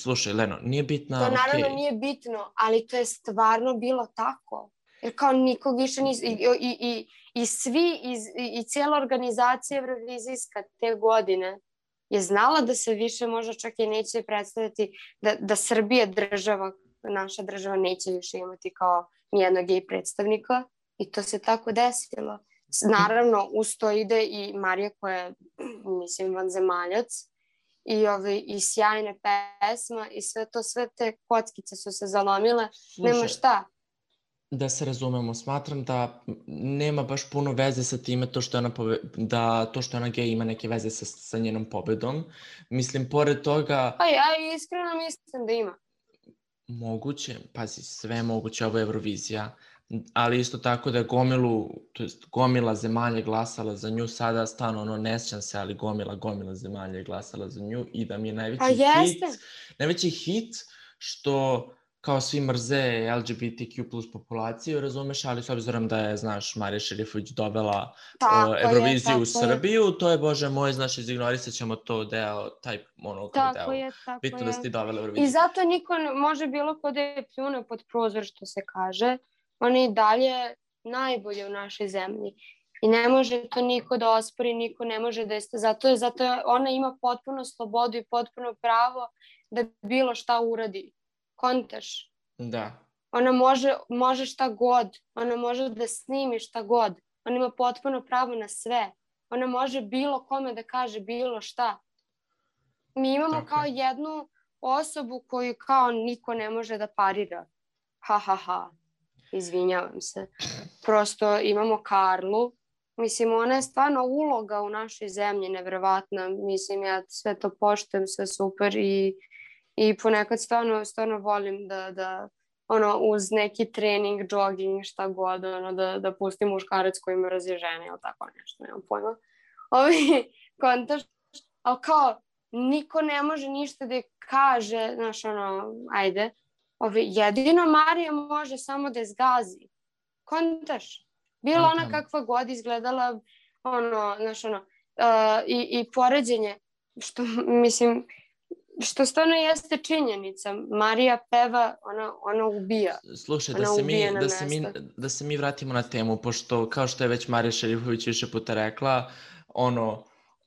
Slušaj, Leno, nije bitno, to naravno nije bitno, ali to je stvarno bilo tako. Jer kao nikog više nisu, i svi, i cijela organizacija Eurovizijska te godine je znala da se više možda čak i neće predstaviti, da Srbija država, naša država neće više imati kao nijednog gej predstavnika i to se tako desilo. Naravno, uz to ide i Marija koja je, mislim, vanzemaljac, i sjajne pesma i sve te kockice su se zalomile. Nema šta. Da se razumemo, smatram da nema baš puno veze sa time to što je ona gej ima neke veze sa njenom pobedom. Mislim, pored toga... Pa ja iskreno mislim da ima. Moguće, pazi, sve moguće, ovo je Eurovizija. Ali isto tako da je gomila zemalja glasala za nju, sada stvarno ne sjećam se, ali gomila zemalja je glasala za nju i da mi je najveći hit što kao svi mrze LGBTQ plus populaciju, razumeš, ali s obzirom da je, znaš, Marija Šerifović dovela Euroviziju u Srbiju, to je, bože moj, znaš, izignorisat ćemo to deo, taj deo. Tako je. Bitno da si ti dovela Euroviziju. I zato niko može bilo ko da je pljune pod prozor, što se kaže. Ona je i dalje najbolje u našoj zemlji. I ne može to niko da ospori, niko ne može da jeste. Zato ona ima potpuno slobodu i potpuno pravo da bilo šta uradi. Kontaš? Da. Ona može šta god. Ona može da snimi šta god. Ona ima potpuno pravo na sve. Ona može bilo kome da kaže bilo šta. Mi imamo kao jednu osobu koju kao niko ne može da parira. Izvinjavam se. Prosto imamo Karlu. Mislim, ona je stvarno uloga u našoj zemlji nevjerovatna. Mislim, ja sve to poštujem, sve super i ponekad stvarno volim da uz neki trening, jogging, šta god, da pustim muškarac koji me razježene ili tako nešto, nemam pojma. Kontaš, ali kao, niko ne može ništa da kaže, znaš, ajde, jedino Marija može samo da je zgazi. Kontaš? Bila ona kakva god izgledala, znaš, i poređenje, što mislim, što stvarno jeste činjenica. Marija peva, ona ubija. Slušaj, Ona ubija na mesto. da se mi vratimo na temu, pošto kao što je već Marija Šerifović više puta rekla,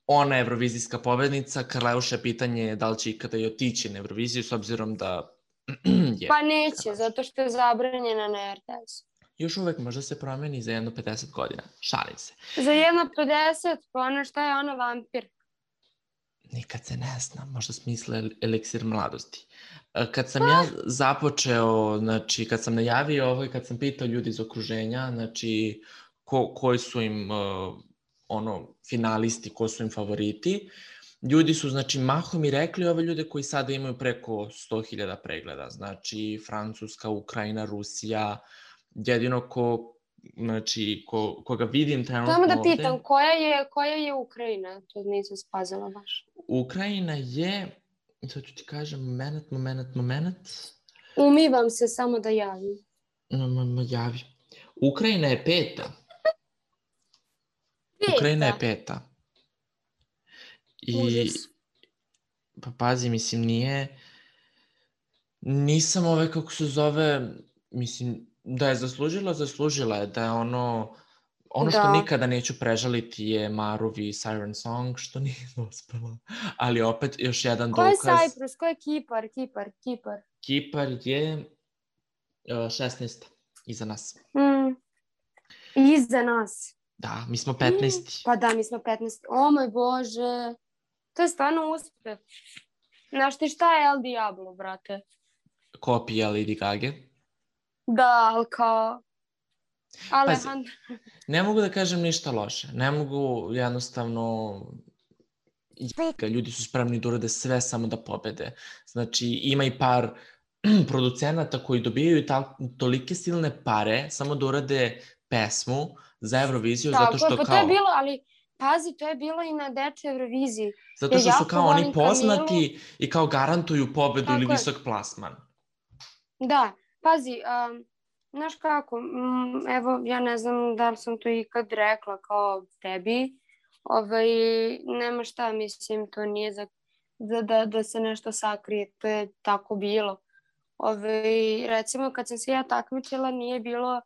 ona je evrovizijska pobednica, Karleuša je pitanje da li će ikada i otići na Euroviziju, s obzirom da je... Pa neće, zato što je zabranjena na RTS. Još uvek možda se promeni za jedno 50 godina. Šalim se. Za jedno 50, pa ona šta je ona vampir? Nikad se ne zna, možda smisle eliksir mladosti. Kad sam ja započeo, znači kad sam najavio ovo i kad sam pitao ljudi iz okruženja, znači koji su im finalisti, ko su im favoriti, ljudi su, znači, mahom i rekli ove ljude koji sada imaju preko 100.000 pregleda, znači Francuska, Ukrajina, Rusija, jedino koga vidim trenutno ovde... Samo da pitam, koja je Ukrajina? To nisam spazila baš. Ukrajina je, sad ću ti kažem, moment. Umivam se, samo da javim. Javi. Ukrajina je peta. Ukrajina je peta. I, pa pazi, mislim, nisam kako se zove, mislim, da je zaslužila je, da je ono što nikada neću prežaliti je Maruvi Siren Song, što nije dospela, ali opet još jedan dokaz. Ko je Cyprus, ko je Kipar? Kipar je 16. iza nas. Iza nas? Da, mi smo 15. Pa da, mi smo 15. O moj Bože, to je stvarno uspeh. Znaš ti šta je El Diablo, brate? Kopija Lady Gage. Da, ali kao... Alejandro. Ne mogu da kažem ništa loše. Ne mogu jednostavno... Ljudi su spremni da urade sve samo da pobede. Znači, ima i par producenata koji dobijaju tolike silne pare samo da urade pesmu za Euroviziju, zato što kao... To je bilo, ali pazi, to je bilo i na dečoj Euroviziji. Zato što su kao oni poznati i kao garantuju pobedu ili visok plasman. Da, pazi, znaš kako, evo, ja ne znam da li sam to ikad rekla kao tebi, nema šta, mislim, to nije da se nešto sakrije, to je tako bilo. Recimo, kad sam se ja takmičila, nije bilo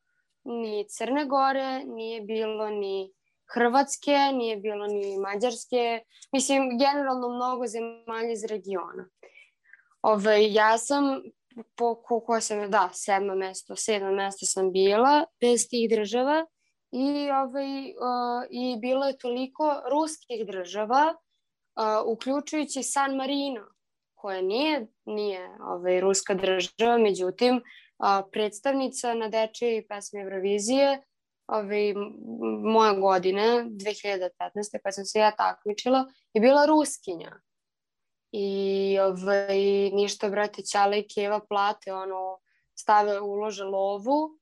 ni Crne Gore, nije bilo ni Hrvatske, nije bilo ni Mađarske, mislim, generalno mnogo zemalja iz regiona. Ja sam sedmo mesto sam bila bez tih država i bilo je toliko ruskih država, uključujući San Marino, koja nije ruska država, međutim, predstavnica na dečijoj pesmi Eurovizije moje godine, 2015. kad sam se ja takmičila, je bila Ruskinja. I ništa, brate, Ćale i Keva plate, ulože lovu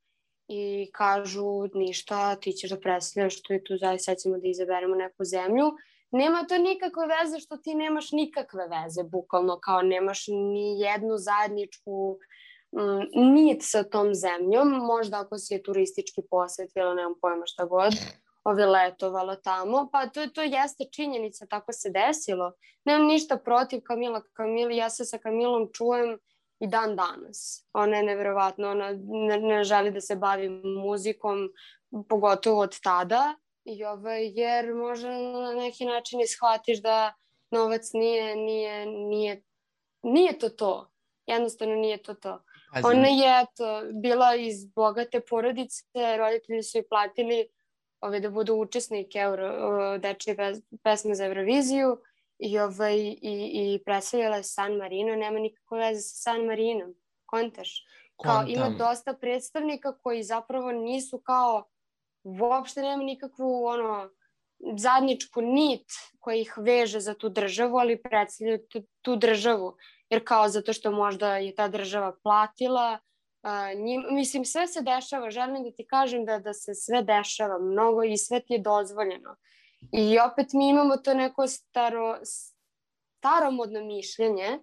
i kažu ništa, ti ćeš da predstavljaš, što je tu zaista, ćemo da izaberemo neku zemlju. Nema to nikakve veze što ti nemaš nikakve veze, bukvalno, kao nemaš ni jednu zajedničku nit sa tom zemljom, možda ako si je turistički posvetila, nemam pojma šta god, letovala tamo, pa to jeste činjenica, tako se desilo. Nemam ništa protiv Kamili, ja se sa Kamilom čujem i dan danas. Ona je neverovatna, ona ne želi da se bavi muzikom, pogotovo od tada, jer možda na neki način shvatiš da novac nije to. Jednostavno nije to. Ona je bila iz bogate porodice, roditelji su joj platili da budu učesnike dečije pesme za Euroviziju i predstavljala je San Marino, nema nikakve veze sa San Marinom, kontaš? Ima dosta predstavnika koji zapravo nisu kao, uopšte nema nikakvu zajedničku nit koja ih veže za tu državu, ali predstavljaju tu državu, jer kao zato što možda je ta država platila, mislim, sve se dešava, želim da ti kažem da se sve dešava mnogo i sve ti je dozvoljeno. I opet mi imamo to neko staromodno mišljenje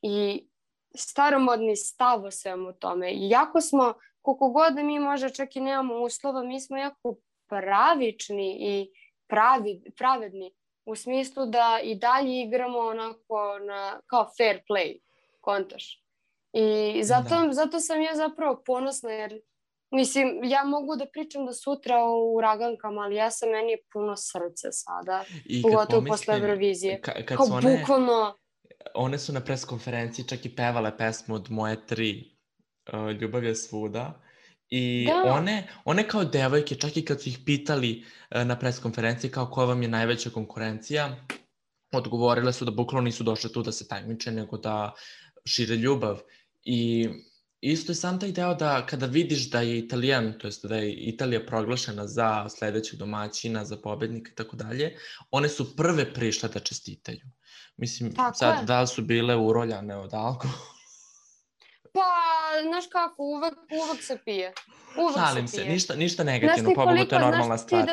i staromodni stav o svemu tome. Iako smo, koliko god da mi možda čak i nemamo uslova, mi smo jako pravični i pravedni u smislu da i dalje igramo onako kao fair play, kontaš. I zato sam ja zapravo ponosna, jer mislim, ja mogu da pričam do sutra o uragankama, ali meni je puno srce sada, pogotovo posle Eurovizije. Kao bukvalno... One su na pres konferenciji čak i pevale pesmu od Moje 3, Ljubav je svuda. I one kao devojke, čak i kad su ih pitali na pres konferenciji kao koja vam je najveća konkurencija, odgovorile su da bukvalno nisu došle tu da se takmiče, nego da šire ljubav. I isto je sam taj deo da kada vidiš da je Italijan, to jest da je Italija proglašena za sledećeg domaćina, za pobednika i tako dalje, one su prve prišle da čestitaju. Mislim, sad da li su bile uroljane od alkohola? Pa, znaš kako, uvek se pije. Šalim se, ništa negativno, pobogu to je normalna stvar.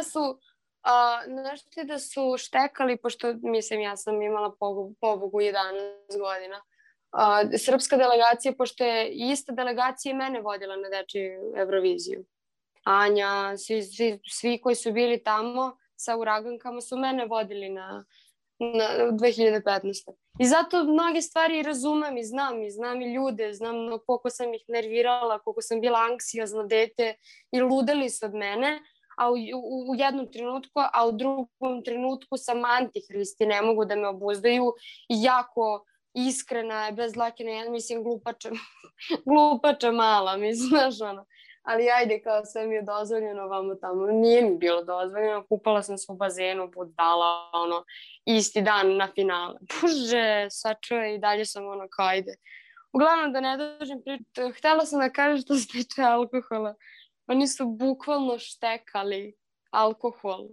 Znaš ti da su štekali, pošto, mislim, ja sam imala pobogu 11 godina, srpska delegacija, pošto je ista delegacija i mene vodila na dečiju Euroviziju. Anja, svi koji su bili tamo sa uragankama su mene vodili na 2015. I zato mnoge stvari razumem i znam i ljude, znam koliko sam ih nervirala, koliko sam bila anksiozno dete i ludeli su od mene, a u jednom trenutku, a u drugom trenutku sam antihristi, ne mogu da me obuzdaju i jako iskrena je, bez dlake na jedan, mislim, glupača mala, mislim, znaš ono. Ali ajde, kao sve mi je dozvoljeno vamo tamo. Nije mi bilo dozvoljeno, kupala sam se u bazenu, budala, ono, isti dan na finale. Bože, sačuvaj, i dalje sam ono, kao ajde. Uglavnom, da ne dođem pričati, htjela sam da kažem što se tiče alkohola. Oni su bukvalno štekali alkohol,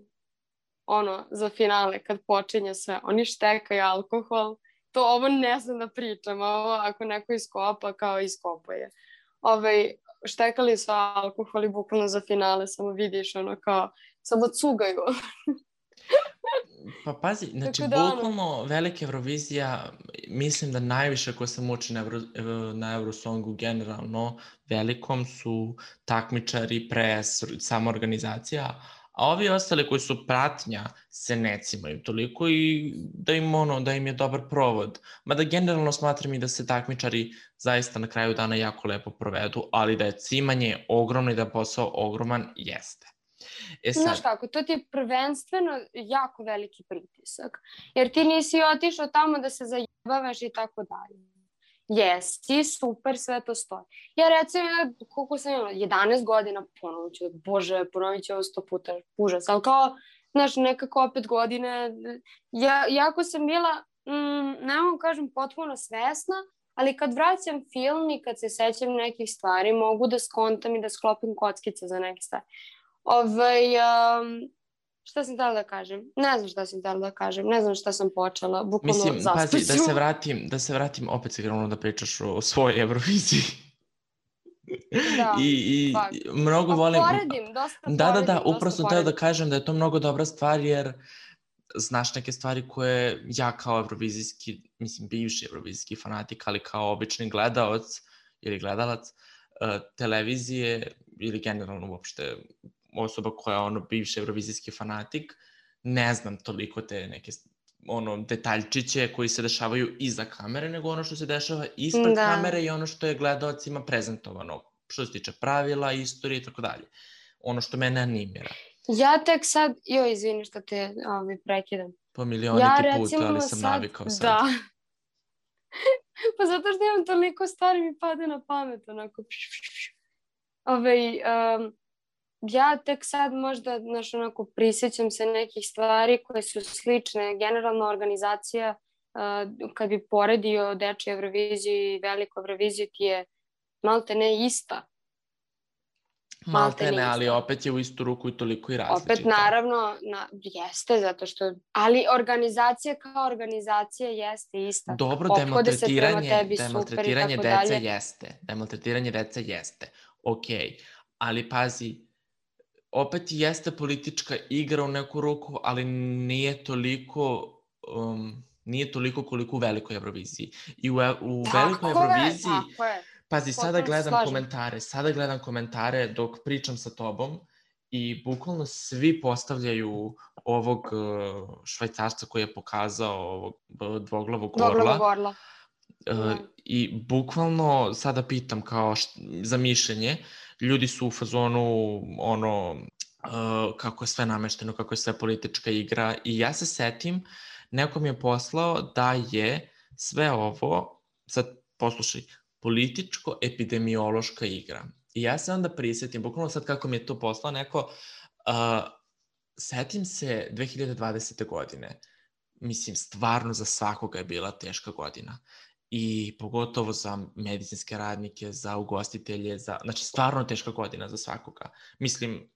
ono, za finale, kad počinje sve. Oni štekaju alkohol. Ovo ne znam da pričam, ovo ako neko iskopa, kao iskopuje. Štekali su alkohol i bukvalno za finale, samo vidiš, ono, kao, samo cugaju. Pa pazi, znači, bukvalno velika Eurovizija, mislim da najviše ko se muči na Eurosongu generalno, velikom su takmičari, pres, sama organizacija, a ovi ostali koji su pratnja se ne cimaju toliko i da im je dobar provod. Mada generalno smatram i da se takmičari zaista na kraju dana jako lepo provedu, ali da je cimanje ogromno i da je posao ogroman, jeste. Znaš kako, to ti je prvenstveno jako veliki pritisak, jer ti nisi otišao tamo da se zajebavaš i tako dalje. Jesi, super, sve to stoji. Ja recimo, koliko sam imala, 11 godina, ponovit ću ovo 100 puta, užas, ali kao, znaš, nekako opet godine, jako sam bila, ne mogu kažem, potpuno svesna, ali kad vraćam film i kad se sećam nekih stvari, mogu da skontam i da sklopim kockice za neke stvari. Šta sam htjela da kažem? Ne znam šta sam htjela da kažem, ne znam šta sam počela, bukvalno zaspaću. Mislim, pazi, da se vratim, opet se krenulo da pričaš o svojoj Euroviziji. Da, I mnogo volim... Poredim, dosta poredim. Da, upravo sam htjela da kažem da je to mnogo dobra stvar, jer znaš neke stvari koje ja kao evrovizijski, mislim, bivši evrovizijski fanatik, ali kao obični gledalac ili gledalac televizije ili generalno uopšte osoba koja je ono bivši evrovizijski fanatik, ne znam toliko te neke detaljčiće koji se dešavaju iza kamere, nego ono što se dešava ispred kamere i ono što je gledalcima prezentovano, što se tiče pravila, istorije i tako dalje. Ono što mene animira. Ja tek sad, izvini što te prekidam. Po milioniti put, ali sam navikao sad. Da. Pa zato što imam toliko stvari mi pade na pamet, onako. Ja tek sad možda, prisjećam se nekih stvari koje su slične. Generalno organizacija, kad bi poredio dečju Euroviziju i veliku Euroviziju, ti je malte ne ista. Malte ne, ali opet je u istu ruku i toliko i različita. Opet naravno, jeste, zato što... Ali organizacija kao organizacija jeste ista. Dobro, demaltretiranje dece jeste. Demaltretiranje dece jeste. Okej, ali pazi, opet jeste politička igra u neku ruku, ali nije toliko koliko u velikoj Euroviziji. I u velikoj Euroviziji... Pazi, sada gledam komentare dok pričam sa tobom i bukvalno svi postavljaju ovog Švajcarca koji je pokazao ovog dvoglavog orla. I bukvalno sada pitam kao za mišljenje, ljudi su u fazonu kako je sve namešteno, kako je sve politička igra i ja se setim, neko mi je poslao da je sve ovo, sad poslušaj, političko-epidemiološka igra. I ja se onda prisjetim, bukvalno sad kako mi je to poslao neko, setim se 2020. godine, mislim, stvarno za svakoga je bila teška godina. I pogotovo za medicinske radnike, za ugostitelje, znači stvarno teška godina za svakoga. Mislim,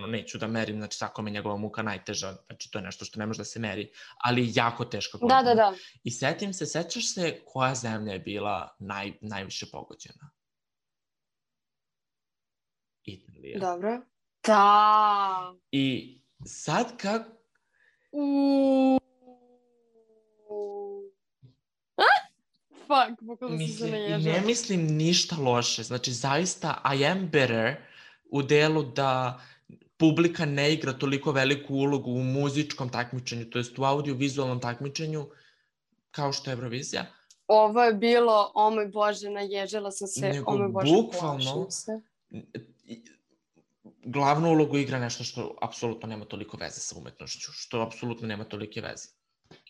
neću da merim, znači svakome njegova muka najteža, znači to je nešto što ne može da se meri, ali jako teška godina. Da. I sećaš se koja zemlja je bila najviše pogođena? Italija. Dobro. Da. I sad kako... Fuck, bukvalno sam se naježala. Ne mislim ništa loše, znači zaista I am better u delu da publika ne igra toliko veliku ulogu u muzičkom takmičenju, to jest u audio-vizualnom takmičenju, kao što je Eurovizija. Ovo je bilo, o moj Bože, naježala sam se, nego o moj Bože, bukvalno, glavnu ulogu igra nešto što apsolutno nema toliko veze sa umetnošću, što apsolutno nema tolike veze.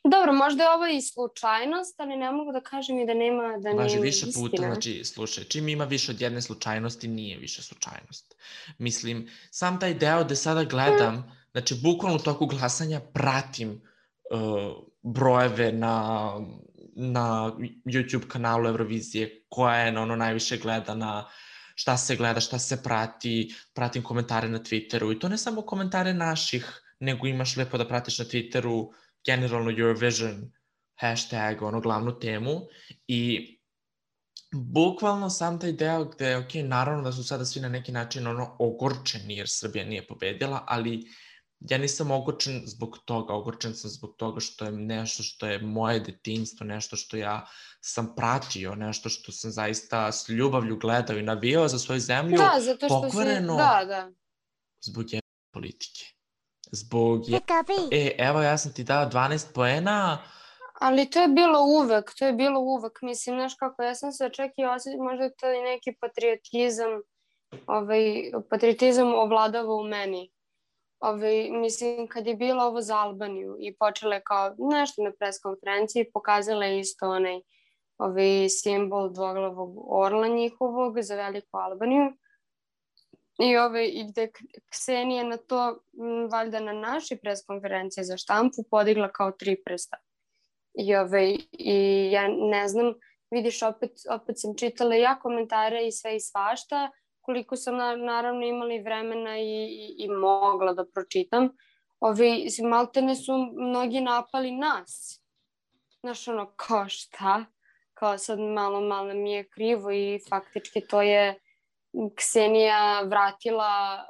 Dobro, možda je ovo i slučajnost, ali ne mogu da kažem i da nema istina. Važi više puta, znači, slušaj, čim ima više od jedne slučajnosti, nije više slučajnost. Mislim, sam taj deo gde sada gledam, znači, bukvalno u toku glasanja pratim brojeve na YouTube kanalu Eurovizije, koja je najviše gledana, šta se gleda, šta se prati, pratim komentare na Twitteru i to ne samo komentare naših, nego imaš lepo da pratiš na Twitteru generalno Eurovision hashtag, glavnu temu i bukvalno sam taj deo gde, ok, naravno da su sada svi na neki način ogorčeni jer Srbija nije pobedila, ali ja nisam ogorčen zbog toga, ogorčen sam zbog toga što je nešto što je moje detinjstvo, nešto što ja sam pratio, nešto što sam zaista s ljubavlju gledao i navijao za svoju zemlju, pokvareno zbog jedne politike. Evo ja sam ti dao 12 poena. Ali to je bilo uvek, mislim, znaš kako, ja sam se čak i osjećala, možda je to i neki patriotizam ovladava u meni. Mislim, kad je bilo ovo za Albaniju i počele kao nešto na pres konferenciji, pokazala je isto onaj simbol dvoglavog orla njihovog za Veliku Albaniju. I gde Ksenija na to, valjda na našoj pres konferenciji za štampu, podigla kao 3 prsta. I ja ne znam, vidiš, opet sam čitala ja komentare i sve i svašta, koliko sam naravno imali vremena i mogla da pročitam. Maltene su mnogi napali nas. Znaš, kao šta? Kao sad malo mi je krivo i faktički to je Ksenija vratila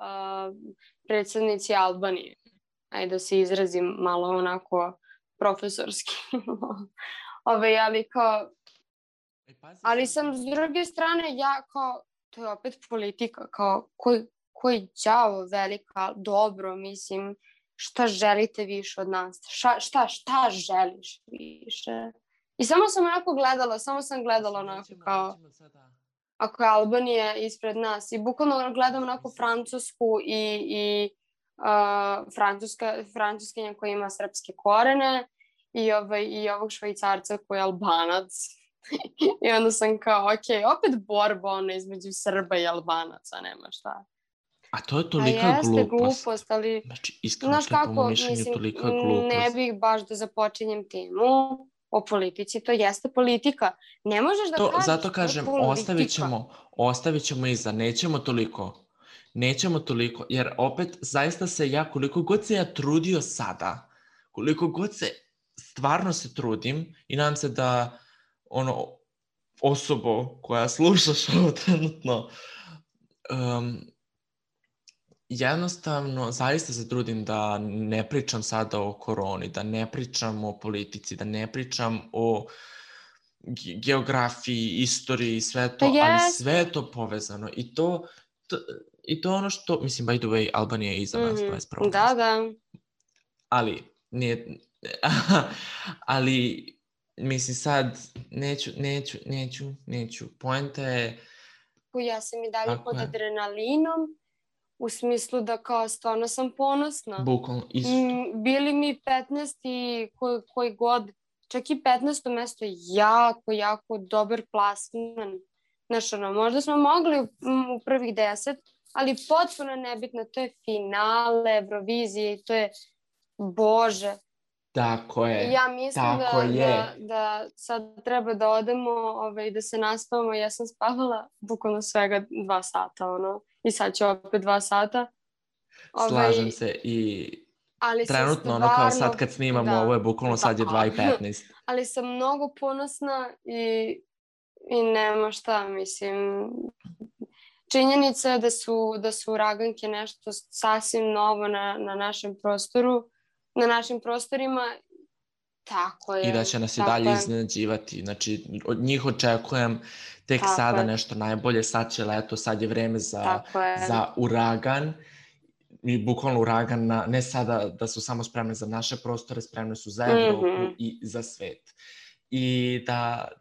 predsjednici Albanije. Ajde da se izrazim malo onako profesorski. Ali sam s druge strane, ja kao, to je opet politika, kao koji đavo velika, dobro, mislim, šta želite više od nas? Šta želiš više? I samo sam gledala onako kao, ako je Albanija ispred nas i bukvalno gledam onako Francusku i Francuskinja koja ima srpske korene i ovog Švajcarca koji je Albanac. I onda sam kao, ok, opet borba između Srba i Albanaca, nema šta. A to je tolika glupost, ali... Znači, iskreno to je po mojom mišljenju tolika glupost. Ne bih baš da započinjem temu o politici, to jeste politika. Ne možeš da kažeš zato kažem, ostavit ćemo iza, nećemo toliko, jer opet zaista se ja, koliko god se ja trudio sada, koliko god se stvarno se trudim i nadam se da osobo koja slušaš ovo trenutno, jednostavno zaista se trudim da ne pričam sada o koroni, da ne pričam o politici, da ne pričam o geografiji, istoriji, sve to, ali sve je to povezano i to I to je ono što, mislim, by the way, Albanija je iza nas, 21. Da. Ali, nije... ali, mislim, sad, neću. Poenta je... Ja sam i dalje pod adrenalinom, u smislu da kao stvarno sam ponosna. Bukvalno, isto. Bili mi 15 i koji god, čak i 15. mesto je jako dobar plasman. Znaš, možda smo mogli u prvih 10, ali potpuno nebitno, to je finale Eurovizije i to je, Bože. Tako je. Ja mislim da sad treba da odemo i da se naspavamo. Ja sam spavala bukvalno svega 2 sata, i sad ću opet 2 sata. Slažem se i trenutno, kao sad kad snimamo, ovo je bukvalno sad je 2:15. Ali sam mnogo ponosna i nema šta, mislim. Činjenica je da su uraganke nešto sasvim novo na našem prostoru, na našim prostorima, tako je. I da će nas i dalje iznenađivati. Znači, od njih očekujem tek sada nešto najbolje, sad će leto, sad je vreme za uragan. I bukvalno uragan, ne sada da su samo spremne za naše prostore, spremne su za Evropu i za svet. I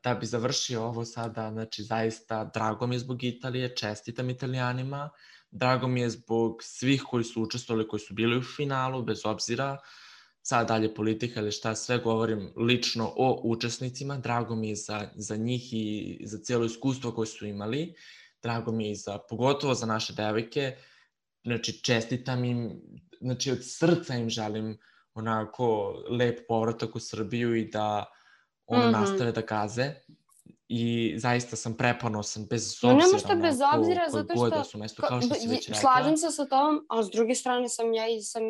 da bi završio ovo sada, znači zaista drago mi je zbog Italije, čestitam Italijanima, drago mi je zbog svih koji su učestvovali, koji su bili u finalu, bez obzira, sad dalje politika ili šta, sve govorim lično o učesnicima, drago mi je za njih i za cijelo iskustvo koje su imali, drago mi je pogotovo za naše devojke, znači čestitam im, znači od srca im želim onako lep povratak u Srbiju i da nastave da gaze i zaista sam preponosan bez obzira nema što bez obzira, zato što da su mesto, kao što si već rekla. Slažem se sa tobom, a s druge strane sam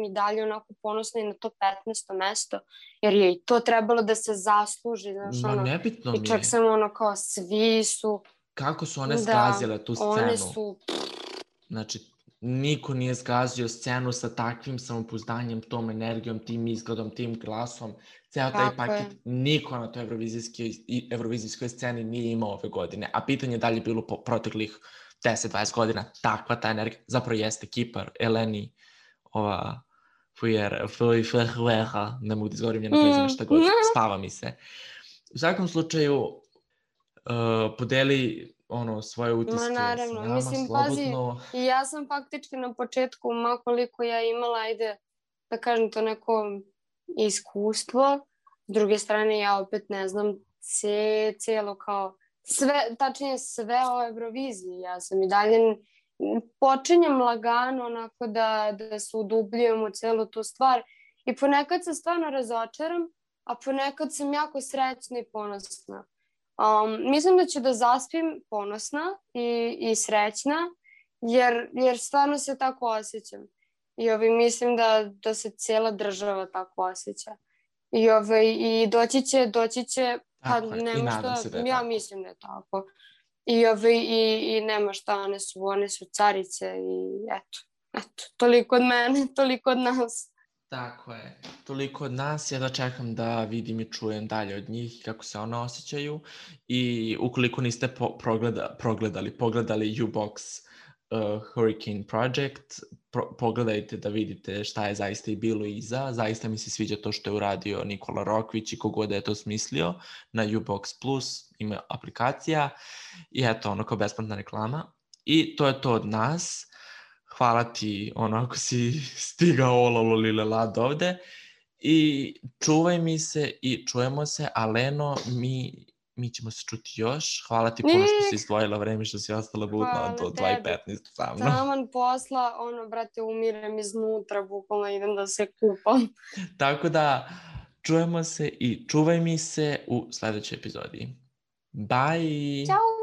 i dalje onako ponosna i na to 15. mesto, jer je i to trebalo da se zasluži, znaš, nebitno mi je. I čak sam kao svi su... Kako su one zgazile tu scenu? One su... Znači, niko nije zgazio scenu sa takvim samopouzdanjem, tom energijom, tim izgledom, tim glasom. Ceo taj paket niko na toj evrovizijskoj sceni nije imao ove godine. A pitanje je da li je bilo po proteklih 10-20 godina takva ta energija. Zapravo jeste Kipar, Eleni, ova ne mogu da izgovorim njena prezime šta god, spava mi se. U svakom slučaju, podeli svoje utiske s nama, slobodno. Mislim, pazi, i ja sam faktički na početku, makoliko ja imala, da kažem to neko iskustvo, s druge strane ja opet ne znam cijelo kao, tačnije sve o Euroviziji, ja sam i dalje počinjem lagano onako da se udubljujem u celu tu stvar i ponekad se stvarno razočaram, a ponekad sam jako srećna i ponosna. Mislim da ću da zaspim ponosna i srećna, jer stvarno se tako osjećam. I mislim da se cijela država tako osjeća. I doći će, pa nema šta, ja mislim da je tako. I nema šta, one su carice i eto, toliko od mene, toliko od nas. Tako je, toliko od nas, ja da čekam da vidim i čujem dalje od njih kako se one osjećaju i ukoliko niste pogledali U-Box Hurricane Project, pogledajte da vidite šta je zaista i bilo iza, zaista mi se sviđa to što je uradio Nikola Rokvić i kogod je to smislio na U-Box Plus, ima aplikacija i eto, kao besplatna reklama i to je to od nas. Hvala ti, ako si stigao olololilelad ovde i čuvaj mi se i čujemo se, a Leno, mi ćemo se čuti još. Hvala ti puno što si izdvojila vreme, što si ostala budna do 2:15 sa mnom. Taman posla, brate, umirem iznutra, bukvalno idem da se kupam. Tako da, čujemo se i čuvaj mi se u sledećoj epizodi. Bye! Ćao!